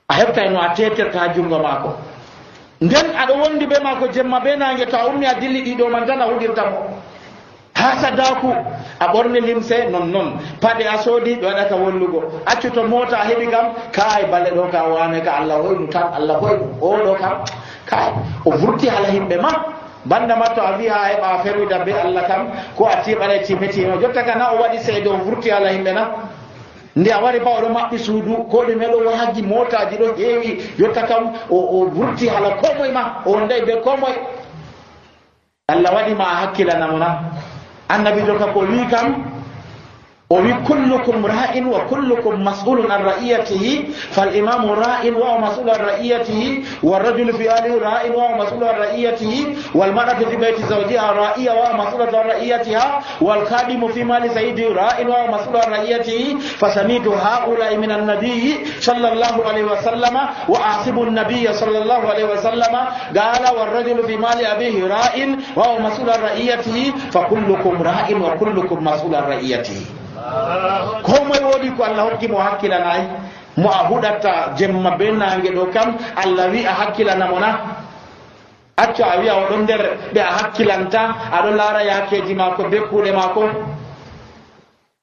a heɓtay no a teterta ha jungo maako. nden aɗo wondi be maako jemma be nange to a ummi a dilli ɗiɗo man tan a huɗirta mo. ha sadaku a ɓorni limse non noon paɗe a soodi ɓe waɗata wollugo. accu to mota a heɓi kam kay balle ɗo ka wane ka Allah hoynu tan Allah hoynu oɗo kam kay o vurti hala himɓe ma. banda ma to a wi ha heɓa ferwida be Allah kam ko a tiɓaɗa timetino jotta ka na o waɗi seede o vurti hala himɓe na. nde a wari ba oɗo maɓɓi suudu ko ɗume ɗo waagi motaji ɗo heewi jotta kam o vurti hala ko moye ma o wonday be ko moye. Allah waɗima a hakkilanamo na. annabi jo ka ko wi kam o wi kullukum ra'in wa kullukum mas'ulun an ra'iyatihi fal imamu ra'in wa mas'ulun an ra'iyatihi wal rajulu fi ahlihi ra'in wa mas'ulun an ra'iyatihi wal mar'atu fi bayti zawjiha ra'iya wa mas'ulun an ra'iyatiha wal khadimu fi mali sayyidihi ra'in wa mas'ulun an ra'iyatihi fasamitu ha'ula'i min an-nabiy sallallahu alayhi wa sallama wa asibu an-nabiy sallallahu alayhi wa sallama qala wal rajulu fi mali abihi ra'in wa mas'ulun an ra'iyatihi fa kullukum ra'in wa kullukum mas'ulun an ra'iyatihi. ko moye woodi ko Allah hokki mo hakkilanayi mo a huɗatta jemma be nange ɗo kam Allah wi a hakkilanamo na. accu a wiya oɗon nder ɓe a hakkilanta aɗo laara yakeji maako be kuuɗe maako.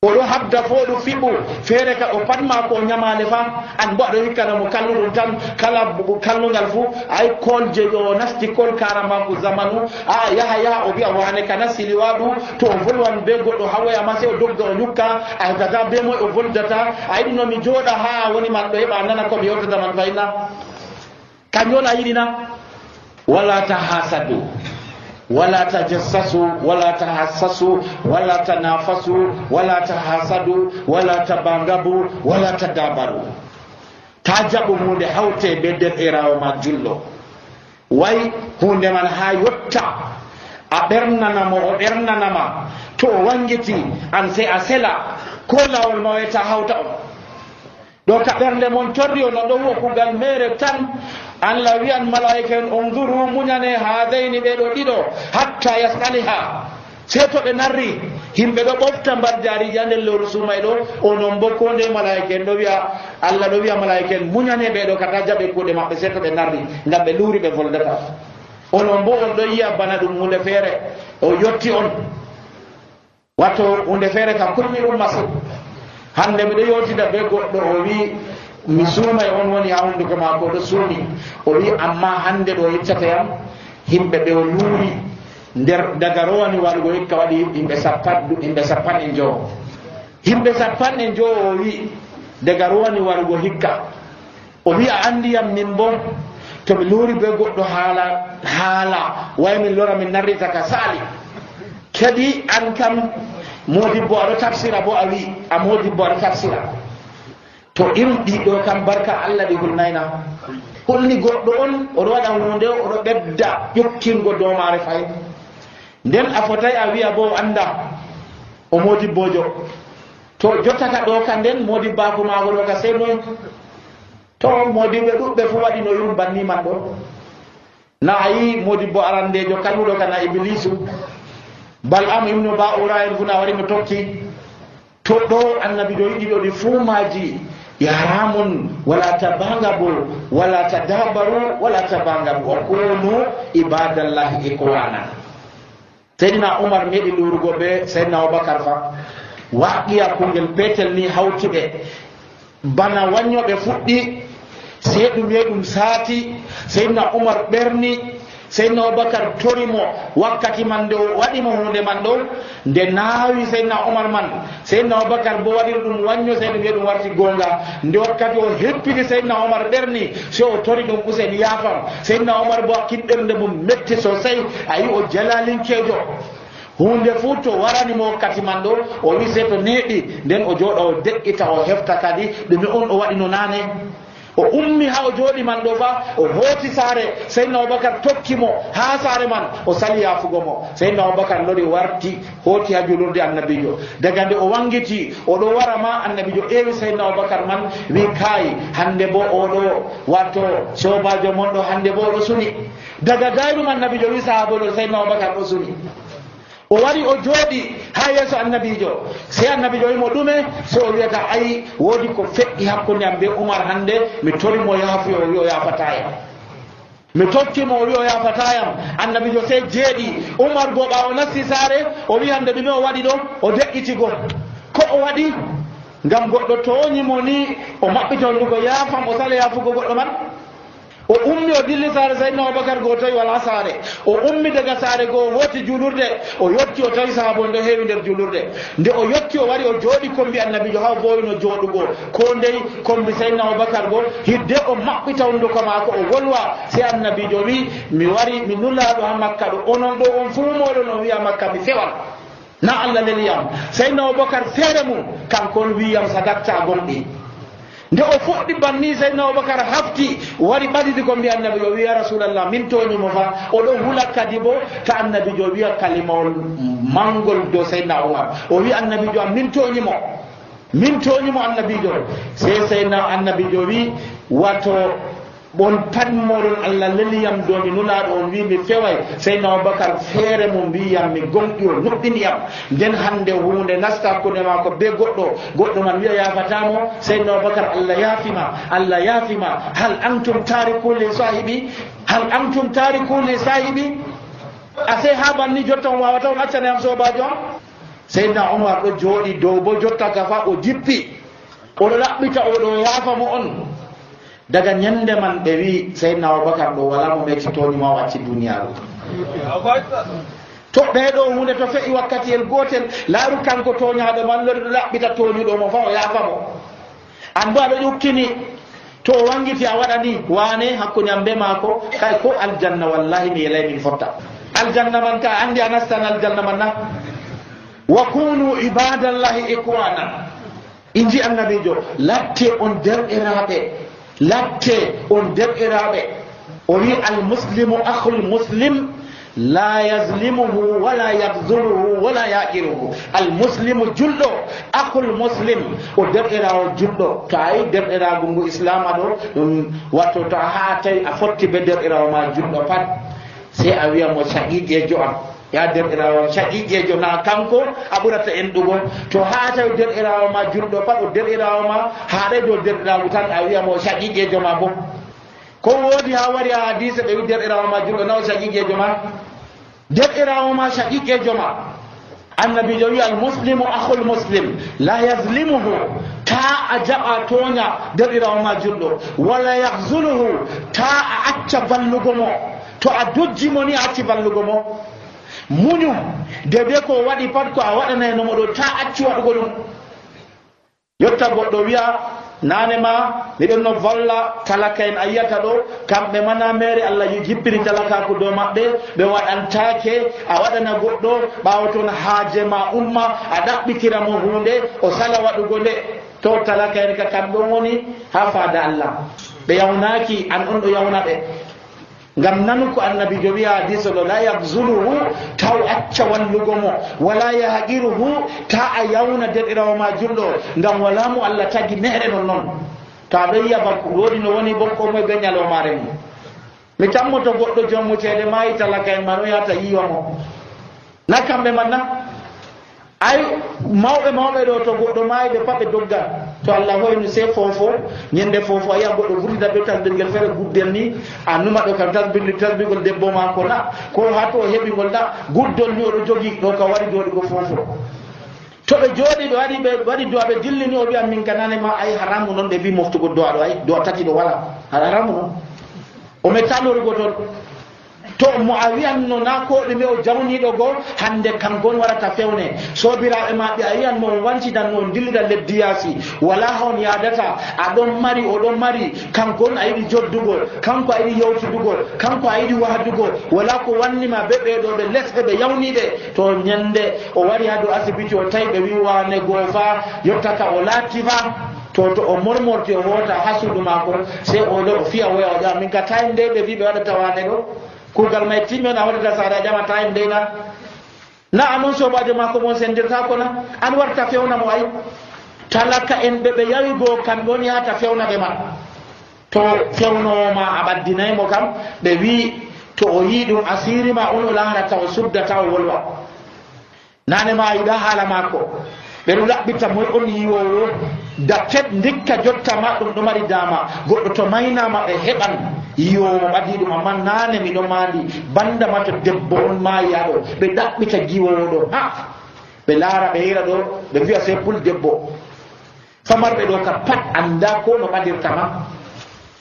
oɗo habda fo ɗo fiɓu feere ka o patma ko ñamale fa an bo aɗo hikkana mo kalluɗum tan kala kallugal fuu ay kol je o nasti kol karamaku zamanu a yaha yaha o wiya wane kana sili waɗu to o volwan be goɗɗo hawoyama se o dogga o ñukka a heftata be moy o voldata a yiɗi nomi jooɗa ha woni man ɗo heɓa nana komi yewtata man fayna kañol a yiɗina wala tahasadu wala tajassasu wala tahassasu wala tanafasu wala tahasadu wala tabangabu wala tadabaru ta jaɓu hunde hawte be derɗirawo ma jullo way hunde man ha yotta a ɓernanamo o ɓernanama to o wangiti an sey a sela ko lawol ma wayta hawta on ɗo ka ɓernde mon torri o no ɗo wo kugal mere tan Allah wiyan malaika en unzuru muñane hadayni ɓeɗo ɗiɗo hatta yasaliha sey to ɓe narri himɓe ɗo ɓofta mbarjariji ha nder lewru sumay ɗo onon bo ko nde malaika en ɗo wiya Allah ɗo wiya malaika en muñane ɓeɗo kata jaɓe kuuɗe maɓɓe sey to ɓe narri ngam ɓe luuri ɓe voldata onon bo on ɗo yiya bana ɗum hunde feere o yotti on watto hunde feere kam kulmi ɗum masin hande miɗo yewtida be goɗɗo o wi mi suumay on woni ha hunduko mako ɗo suumi o wi amma hande ɗo yeccata yam himɓe ɓe o luuri nder daga rowani waɗugo hikka waɗi yimɓe sappan yimɓe sappan e joo yimɓe sappan e joo o wi daga rowani waɗugo hikka o wi a andi yam min bo to mi luuri be goɗɗo haala haala way min lora min narrita ka saali kadi an kam modibbo aɗo tafsira bo a wi a modibbo aɗo tafsira to irum ɗiɗo kam barka Allah ɗi hulnayna holni goɗɗo on oɗo waɗa hunde oɗo ɓedda ƴokkingo domare fay nden a fotay a wiya bo anda o modibbojo to jottaka ɗo ka nden modibbako mago ɗo ka sey noy to modibɓe ɗuɓɓe fo waɗi no yum banni man ɗo na a yi modibbo arandejo kalmuɗo kana iblisu bal am ibnu ba'ura en funa wari mi tokki to ɗo annabi ɗo yiɗi ɗo ɗi fuumaji yaramun wala tabangabu wala tadabaru wala tabangabu wa kunu ibadallahi ikwana seydina umar meɗi lurugo ɓe seydina aboubacar fa waqiya kungel petel ni hawtiɓe bana waññoɓe fuɗɗi sey ɗum ye ɗum saati seydina umar ɓerni seydina aboubacar torimo wakkati man nde waɗimo hunde man ɗo nde naawi seydina umar man seydina aboubacar bo waɗiri ɗum wañño sey ɗum ye ɗum warti gonga nde wakkati o heppini seydina umar ɓerni so o tori ɗum usen yaafam seydina umar bo kinɗernde mum metti so sey a yi o jalalinkejo hunde fuu to waranimo wakkati man ɗo o wi sey to neeɗi nden o jooɗa o deƴƴita o hefta kadi ɗumi on o waɗino naane o ummi ha o jooɗi man ɗo fa o hooti saare seydna aboubacar tokkimo ha saare man o sali yafugo mo seydna aboubacar lori warti hooti ha julurde annabijo daga nde o wangiti oɗo wara ma annabijo ƴeewi seydna aboubacar man wi kaayi hande bo oɗo watto sobajo mon ɗo hande bo oɗo suni daga gayrum annabijo wi sahaboɗo seydna aboubacar ɗo suni o wari o jooɗi ha yeeso annabijo sey annabijo wimo ɗume so o wiyata ayi woodi ko feƴƴi hakkunde am be umar hande mi torimo yaafuyo o wi o yafatayam mi tokkimo o wi o yafatayam annabijo sey jeeɗi umar bo ɓawo nasti saare o wi hande ɗume o waɗi ɗo o deƴƴitigo ko o waɗi ngam goɗɗo toñimo ni o maɓɓita hondugo yaafam o sala yaafugo goɗɗo man o ummi o dilli saare seydna aboubacar goo tawi wala saare o ummi daga saare goo hooti julurde o yotti o tawi sahabon ɗo heewi nder julurde nde o yotti o wari o jooɗi kombi annabijo ha bowino jooɗugo ko ndey kombi seydna aboubacar goo hidde o maɓɓita hunduko maako o wolwa se annabijo wi mi wari mi nullaɗo ha makka ɗo onon ɗo on fuumoɗo no wiya makka mi fewal na allah leliyam seydna aboubacar feere mum kankon wiyam sadatta gonɗi nde o fuɗɗi banni seydna aboubacar hafti wari ɓadidi ko mbi annabijo o wiya rasulallah min toñimo fa oɗo hula kadi bo ta annabijo wiya kalimawol mangol dow seydna umar o wi annabijo am min toñimo min toñimo annabijo se seydna annabijo wi wato bon pat moɗon allah leliyam do mi nulaɗo on wi mi feway seydna aboubacar feere mo mbiyam mi gonɗi o nuɗɗiniyam nden hande hunde nasta hakkude ma ko be goɗɗo goɗɗo man wiya yafatamo seydna aboubacar allah yaafima allah yaafima hal antum tariku li sahibi hal antum tariku li sahibi ase ha banni jotta on wawata on accane am sobajo am Seydina Umar ɗo jooɗi dow bo jotta ka fa o jippi oɗo laɓɓita oɗo yaafa mo on. Daga ñande man ɓe wi Seydina Abubakar ɗo wala mo mektitoni ma wacci duniyaaru. To ɓeeɗo hunde to fe'i wakkatiyel gootel laaru kanko toñaaɗo man lori ɗo laɓɓita toñuɗo mo fa o yaafa mo. An bo aɗo ƴukkini to o wangiti a waɗani waane hakkunde am be maako kay ko aljanna wallahi mi yelay min fotta. Aljanna man ka andi a nastan aljanna man na. Wa kunu ibadallahi ikwana. Inji annabijo latte on derɗiraaɓe latte on derɗiraaɓe o wi almuslimu akhul muslim la yazlimuhu wala yakzuluhu wala yaqiruhu. Almuslimu julɗo akhul muslim o derɗirawo julɗo. To a yi derɗirago ngu islama ɗo ɗum watto to a ha tawi a fotti be derɗirawo ma julɗo pat sey a wiya mo shaqiqejo am ya derɗirawo shaqiqejo na kanko a ɓurata enɗugo. To ha tawi derɗirawo ma julɗo pat o derɗirawo ma haɗay dow derɗirago tan a wiya mo shaqiqejo ma bo. Ko woodi ha wari ha hadise ɓe wi derɗirawo ma julɗo naw shaqiqejo ma derɗirawo ma shaqiqejo ma. Annabijo wi almuslimu akhul muslim la yazlimuhu ta a jaɓa toña derɗirawo ma julɗo wala yakzuluhu ta a acca ballugo mo. To a dojji mo ni a acci ballugo mo. Muñu dede ko waɗi pat ko a waɗanayno mo ɗo ta acci waɗugo ɗum. Yotta goɗɗo wiya nane ma miɗen no valla talaka en a yiyata ɗo kamɓe mana mere Allah jippiri talakaku dow maɓɓe ɓe waɗantake a waɗana goɗɗo ɓawo toon haaje ma umma a ɗaɓɓitira mo hunde o sala waɗugo nde. To talaka en ka kamɓe woni ha faada Allah ɓe yawnaki an on ɗo yawna ɓe. Ngam nanu ko annabijo wiya hadise ɗo la yakzuluhu taw acca wallugo mo wala yahqiruhu ta a yawna derɗirawo ma julɗo ngam wala mo Allah tagi mehere non noon. To aɗo yiya ba woodi no woni bon ko moye be ñalowmare mum. Mi tammoto goɗɗo jommutede mayi talaka en man o yahata yiwa mo na kamɓe man na. Ay mawɓe mawɓe ɗo to goɗɗo mayi ɓe pat ɓe dogga. To Allah hoyno se fofo ñande fofo a yiya goɗɗo vurtida be tasbirgel feere guddel ni a numa ɗo kam tasbirli tasbirgol debbo mako na ko ha to o heɓigol na guddol ni oɗo jogi ɗo ka waɗi joɗigo fofo. To ɓe jooɗi ɓe waɗi ɓe waɗi do'a ɓe dillini o wiya min kanane ma ay haramu noon ɓe wi moftugo do'a ɗo ay do'a tati ɗo wala haramu noon o metta lorugo toon. To mo a wiyanno na ko ɗume o jawniɗo goo hande kangon warata fewne sobiraɓe maɓɓe a yiyan mo on wancidanno on dillida leddi yaasi wala hon yadata aɗon mari oɗon mari kankon a yiɗi joddugol kanko a yiɗi yewtudugol kanko a yiɗi wahdugol wala ko wannima be ɓeɗo ɓe lesɓe ɓe yawniɓe. To ñande o wari ha dow asibiti o tawi ɓe wi wane goo fa yottaka o laatti fa to to o mormorti o hota ha suudu mako sey oɗo o fiya woya o ƴama min ka time nde ɓe wi ɓe waɗata wane ɗo kugal may timmen a waɗata saare a ƴama time ndeyna na anon sobajo ma ko mon sendirta ko na an warta fewna mo ay talaka en ɓe ɓe yawi goo kamɓe woni yahata fewna ɓe ma. To fewnowoma a ɓaddinaymo kam ɓe wi to o yi ɗum asiri ma on o larata o suddata o wolwa nane ma a yiɗa haala mako ɓe ɗo laɓɓita moy on yiwowo dakket ndikka jotta ma ɗum ɗo mari dama goɗɗo to maynama ɓe heɓan yiwowo ɓadi ɗum amma nane miɗo mandi banda ma to debbo on mayaɗo ɓe ɗaɓɓita giwowo ɗo ha ɓe laara ɓe hira ɗo ɓe wiya se pul debbo famarɓe ɗo ka pat anda ko no ɓadirtama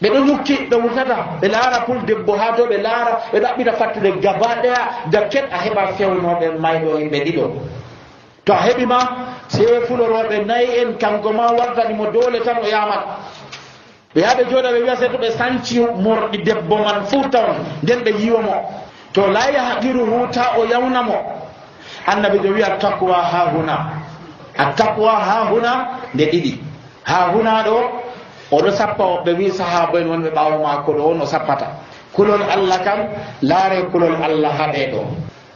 ɓe ɗo ñukki ɓe wurtata ɓe laara pul debbo ha to ɓe laara ɓe ɗaɓɓita fattude gaba ɗaya dakket a heɓa fewnoɓe mayɗo yimɓe ɗiɗo. To a heɓima se fuloroɓe nayi en kanko ma wartanimo dole tan o yamat ɓe yaɓe jooɗa ɓe wiya se to ɓe sanci morɗi debbo man fuu tawn nden ɓe yiwomo to la yahqiruhu ta o yawnamo. Annabi jo wiya taqwa ha huna a taqwa ha huna nde ɗiɗi ha huna ɗo oɗo sappa o ɓe wi sahaba en wonɓe ɓawo mako ɗo on o sappata kulol Allah kam laare kulol Allah haɗe ɗo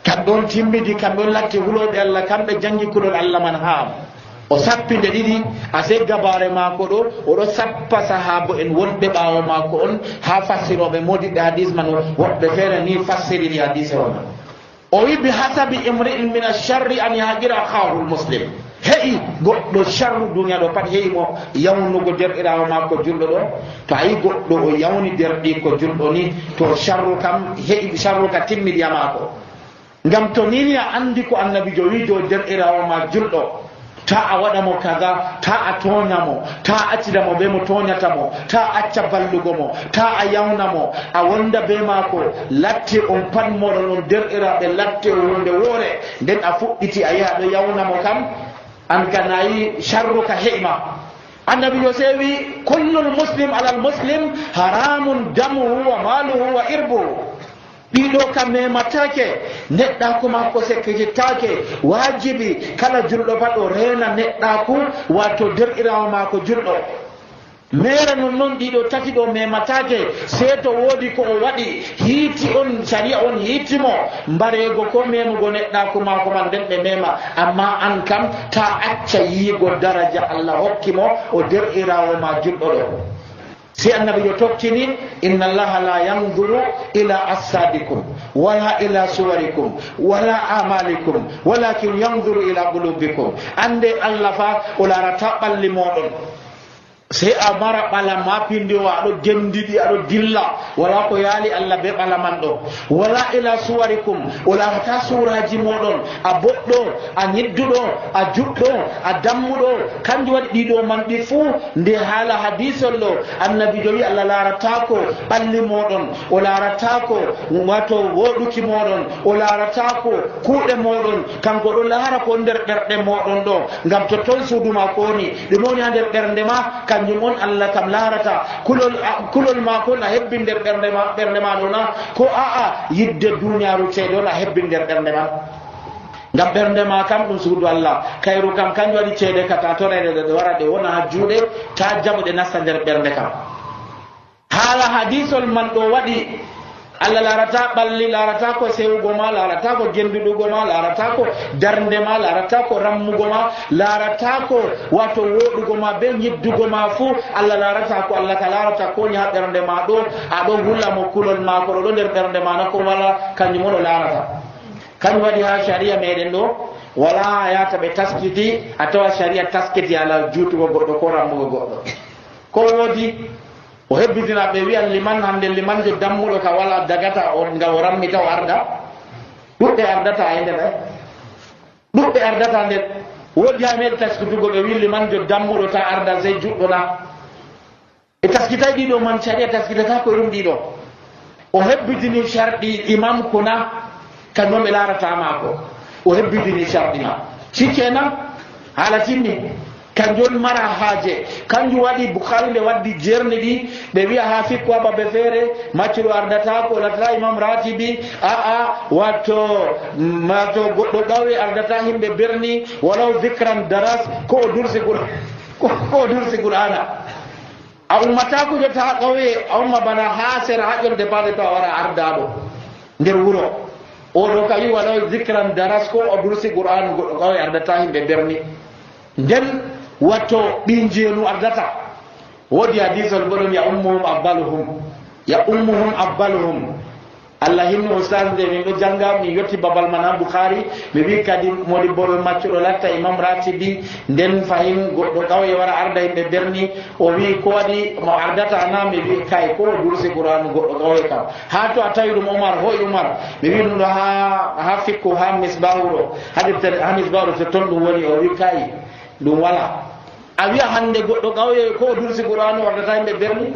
kamɓe on timmidi kamɓe on latti huloɓe Allah kamɓe jangi kulol Allah man ha o sappi nde ɗiɗi a sey gabare mako ɗo oɗo sappa sahaba en wonɓe ɓawo mako on ha fassiroɓe modiɓe hadis man woɓɓe feere ni fassiriri hadise o man o wi bi hasabi imri'in min alcharri an yahqira akhahu lmuslim heƴi goɗɗo charru duniya ɗo pat heƴi mo yawnugo derɗirawo makko julɗo ɗo to a yi goɗɗo o yawni derɗi ko julɗo ni to charru kam heƴi charru ka timmiɗiya mako ngam to nini a andi ko annabijo wi dow derɗirawo ma julɗo ta a waɗa mo kaza, ta a toña mo, ta a accida mo be mo toñata mo, ta a acca ballugo mo, ta a yawna mo, a wonda be maako, latti on pat moɗon on derɗiraɓe latti hunde woore, nden a fuɗɗiti a yaha ɗo yawna mo kam, an ka nayi sharru ka heɓma. annabijo sewi kullul muslim alal muslim haramun damuhu wa maluhu wa irbuhu. ɗiɗo kam mematake, neɗɗaku makko sekkitittake. wajibi kala julɗo pat o rena neɗɗaku wato derɗirawo mako julɗo. mere non noon ɗiɗo tati ɗo mematake, sei to woodi ko o waɗi hiiti on sharia on hiitimo mbareego ko memugo neɗɗaku mako man nden ɓe mema. amma an kam ta acca yiigo daraja Allah hokkimo o derɗirawo ma julɗo ɗo. si annabi yo tokkini inna allaha la yanzuru ila asadikum wala ila suwarikum wala amalikum walakin yanzuru ila qulubikum. ande Allah fa o larata ɓalli moɗon, sey a mara ɓala ma pindi o aɗo gendiɗi aɗo dilla wala ko yaali Allah be ɓala man ɗo. wala ila suwarikum o larata suraji moɗon, a boɗɗo a ñidduɗo a juɗɗo a dammuɗo. kanjum waɗi ɗiɗo man ɗi fuu nde haala hadisol ɗo annabi jowi Allah laratako ɓalli moɗon, o laratako wato woɗuki moɗon, o laratako kuuɗe moɗon, kanko ɗo laara ko nder ɓerɗe moɗon ɗo, ngam to ton suuduma ko woni ɗum woni ha nder ɓernde ma kanjum on Allah kam larata. kulol kulol ma ko na hebbi nder ɓernde ma ɓernde ma ɗo na, ko aa yidde duniyaru ceeɗo na hebbi nder ɓernde ma, ngam ɓernde ma kam ɗum suudu Allah. kayru kam kanjum waɗi ceede kata torede ɗe wara ɗe wona ha juuɗe, ta jaɓo ɗe nasta nder ɓernde kam. haala hadisol man ɗo waɗi Allah larata ɓalli, larata ko sewugo ma, larata ko genduɗugo ma, larata ko darnde ma, larata ko rammugo ma, larata ko wato woɗugo ma be ñiddugo ma fuu Allah larata ko. Allah ka larata ko ni ha ɓernde ma ɗo, aɗo hulla mo kulol ma ko ɗo nder ɓernde ma na ko wala, kanjum on o larata. kanjum waɗi ha sharia meɗen ɗo wala yata ɓe taskiti a tawa sharia taskiti ala juutugo goɗɗo ko rammugo goɗɗo. ko woodi o hebbitina ɓe wiya liman hande liman jo dammuɗo ka wala dagata o nga o rammita o arda. ɗuɓɓe ardata e nder e ɗuɓɓe ardata nder. woodi ha meɗe taskitugo ɓe wi liman jo dammuɗo ta arda sey juɗɗo na. e taskitay ɗiɗo man sharia taskitata ko ɗum ɗiɗo. o hebbitini sharɗi imam kuna kanjum ɓe larata mako, o hebbitini sharɗi ma sikkenan haala timmi. kanjum mara haaje, kanjum waɗi Bukhari nde waddi jerni ɗi ɓe wiya ha fikku ha babe feere maccuɗo ardata ko latata imam ratibi aa wato wato goɗɗo ɗawi ardata himɓe berni walaw zicran daras ko o dursi ko o dursi qur'ana. a ummata ko jota ha ƙauye a umma bana ha sera ha ƴolde bade to a wara ardaɗo nder wuro oɗo ka wi walaw zicran daras ko o dursi qur'an goɗɗo ƙauye ardata himɓe berni. nden watto ɗin jeenu ardata. woodi hadisol boɗon ya ummuhum abbaluhum ya ummuhum abbaluhum. Allah hinno ustad nde min ɗo janga min yetti babal man ha Bukhari mi wi kadi modi boɗo maccuɗo latta imam ratibi nden fahin goɗɗo ƙauye wara arda himɓe berni o wi ko waɗi mo ardata na mi wi kay ko dursi qur'an goɗɗo ƙauye kam. ha to a tawi ɗum Umar hoy Umar mi wi ɗum ɗo ha ha fikku ha misbahu ɗo ha misbahu ɗo to ton ɗum woni o wi kay ɗum wala. a wiya hande goɗɗo ƙauye ko dursi qur'an wardata himɓe berni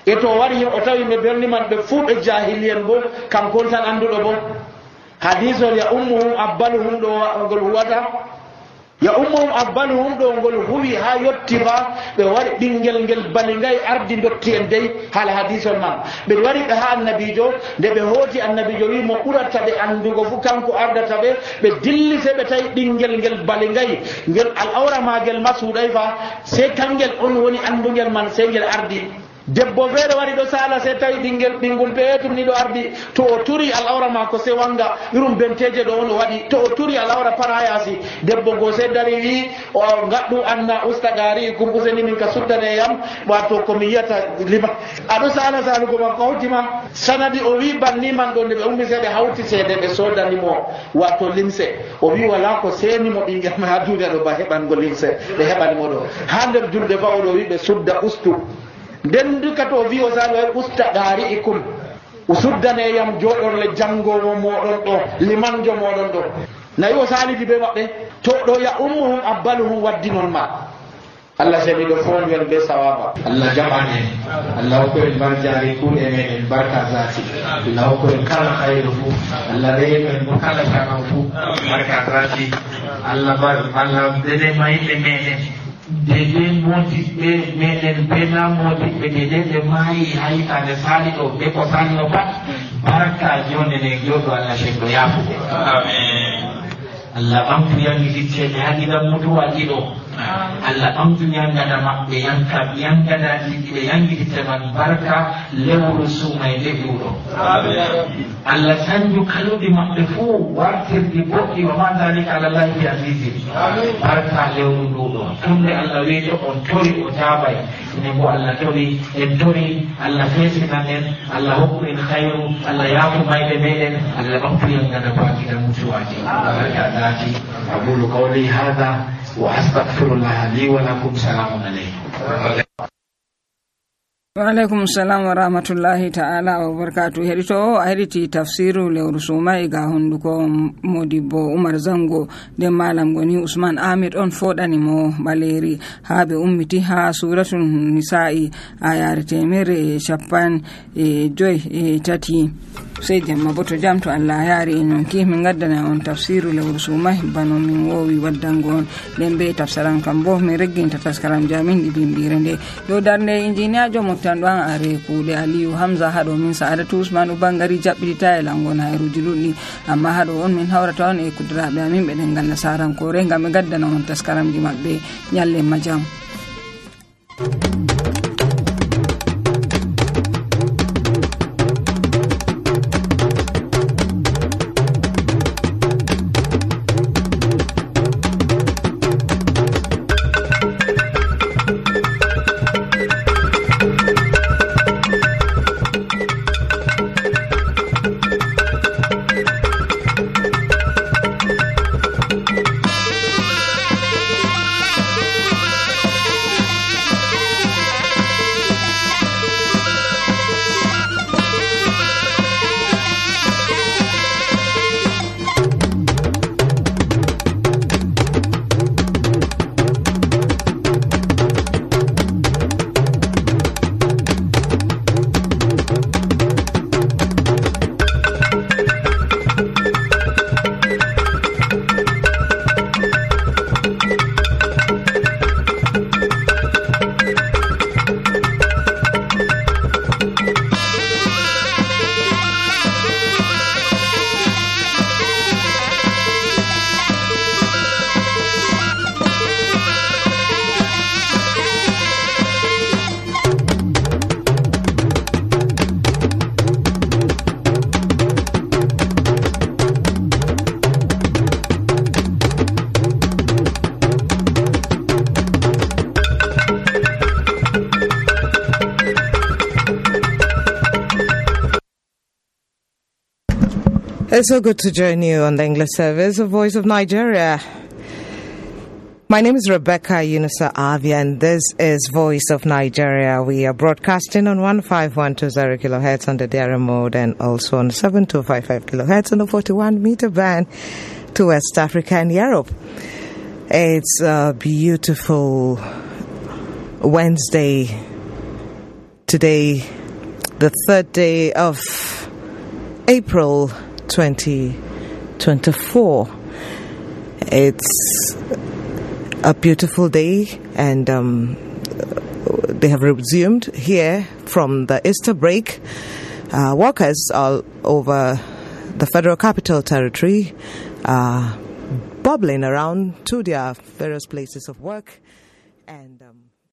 e to wari o tawi himɓe berni man ɓe fuu ɓe jahiliyen bo kankon tan annduɗo bo. hadisol ya ummuhum abbaluhum ɗo ngol huwata ya ummuhum abbaluhum ɗo ngol huwi ha yetti ba ɓe wari ɓinguel ngel bali ngay ardi dotti en dey haala hadisol man. ɓe wari ɓe ha annabijo nde ɓe hooti annabijo wi mo ɓurata ɓe andugo fu kanko ardata ɓe ɓe dilli se ɓe tawi ɓinguel ngel bali ngay ngel al awra magel ma suuɗay fa sey kangel on woni andugel man sey ngel ardi. debbo feere wari ɗo sala se tawi ɓinguel ɓingol peetum ni ɗo ardi to o turi al awra ma ko se wanga irum benteje ɗo on o waɗi to o turi al awra para yasi debbo go se dari wi o gaɗɗu anna ustagari kum useni min ka suddane yam wato komi yiyata lima aɗo sala salugo ma ko hawtima sanadi o wi banni man ɗo nde ɓe ummi se ɓe hawti seede ɓe sodanimo wato limse o wi wala ko senimo ɓinguel ma ha duniya ɗo ba heɓango limse ɓe heɓanimo ɗo ha nder julde fa oɗo wi ɓe sudda ustu nden duka to wi o sala usta ɗari ikum o suddaneyam jooɗorle janngowo moɗon ɗo limanjo moɗon ɗo nayi o saalidi be maɓɓe to ɗo ya ummuhum abbaluhum waddi noon ma Allah seni ɗo fonwen be sawaba Allah jaɓane Allah hokkoen barjari kuuɗe meɗen barka zati Allah hokkoen kala hayru fu Allah reemen bo kala jama fu barka zati Allah bar Allah dede mayɓe meɗen dede modiɓɓe meɗen be na modiɓɓe dede ɓe maayi hayitande saali ɗo ɓe ko salno pat barka jonde ne joɗo Allah seko yafude amin Allah ɓamtu yangiditteɓe haɗiɗan mutuwa ɗiɗo Allah ɓamtu yangada maɓɓe yanka yangada ɗiɗi ɓe yangiditte man barka lewru sumay nde ɗuɗo Allah sanju kaluɗi maɓɓe fuu wartirɗi boɗɗi wa ma dalika ala llahi bi azizi barka lewru nduɗo tunde Allah weeto on tori o jaabay ene bo Allah tori en tori Allah feesinan en Allah hokku en hayru Allah yaafu mayɓe meɗen Allah ɓamtu yangada bakiɗan mutuwaji barka ذاتي أقول قولي هذا وأستغفر الله لي ولكم سلام عليكم Waalaikum salam wa rahmatullahi ta'ala wa barakatuh. Hedito o hediti tafsiru lewru sumai ga hunduko Modibbo Umar Zango de malam goni Usman Ahmed on fodani mo baleri habe ummiti ha suratun nisa'i ayare temere chapan e joy e tati sai jamma boto jamto Allah yari en ki min gaddana on tafsiru lewru sumai bano min wowi waddango on lembe tafsaran kambo mi regginta taskaram jamin didimbire nde yo darne engineer jomo tan ɗon are kuuɗe Aliyu Hamza haɗo min Sa'adatu Usman bangari jaɓɓita e langon hayruji ɗuɗɗi amma haɗo on min hawrata on e kudiraɓe amin ɓe ɗengal nasarankore ngam ɓe gaddana on taskaramji maɓɓe nyalle majam. It's so good to join you on the English service of Voice of Nigeria. My name is Rebecca Yunusa Avia, and this is Voice of Nigeria. We are broadcasting on one five one two zero kilohertz on the D R M mode and also on seven two five five kilohertz on the forty-one meter band to West Africa and Europe. It's a beautiful Wednesday today, the third day of April twenty twenty-four. It's a beautiful day, and um, they have resumed here from the Easter break. Uh, workers all over the Federal Capital Territory are bubbling around to their various places of work, and um,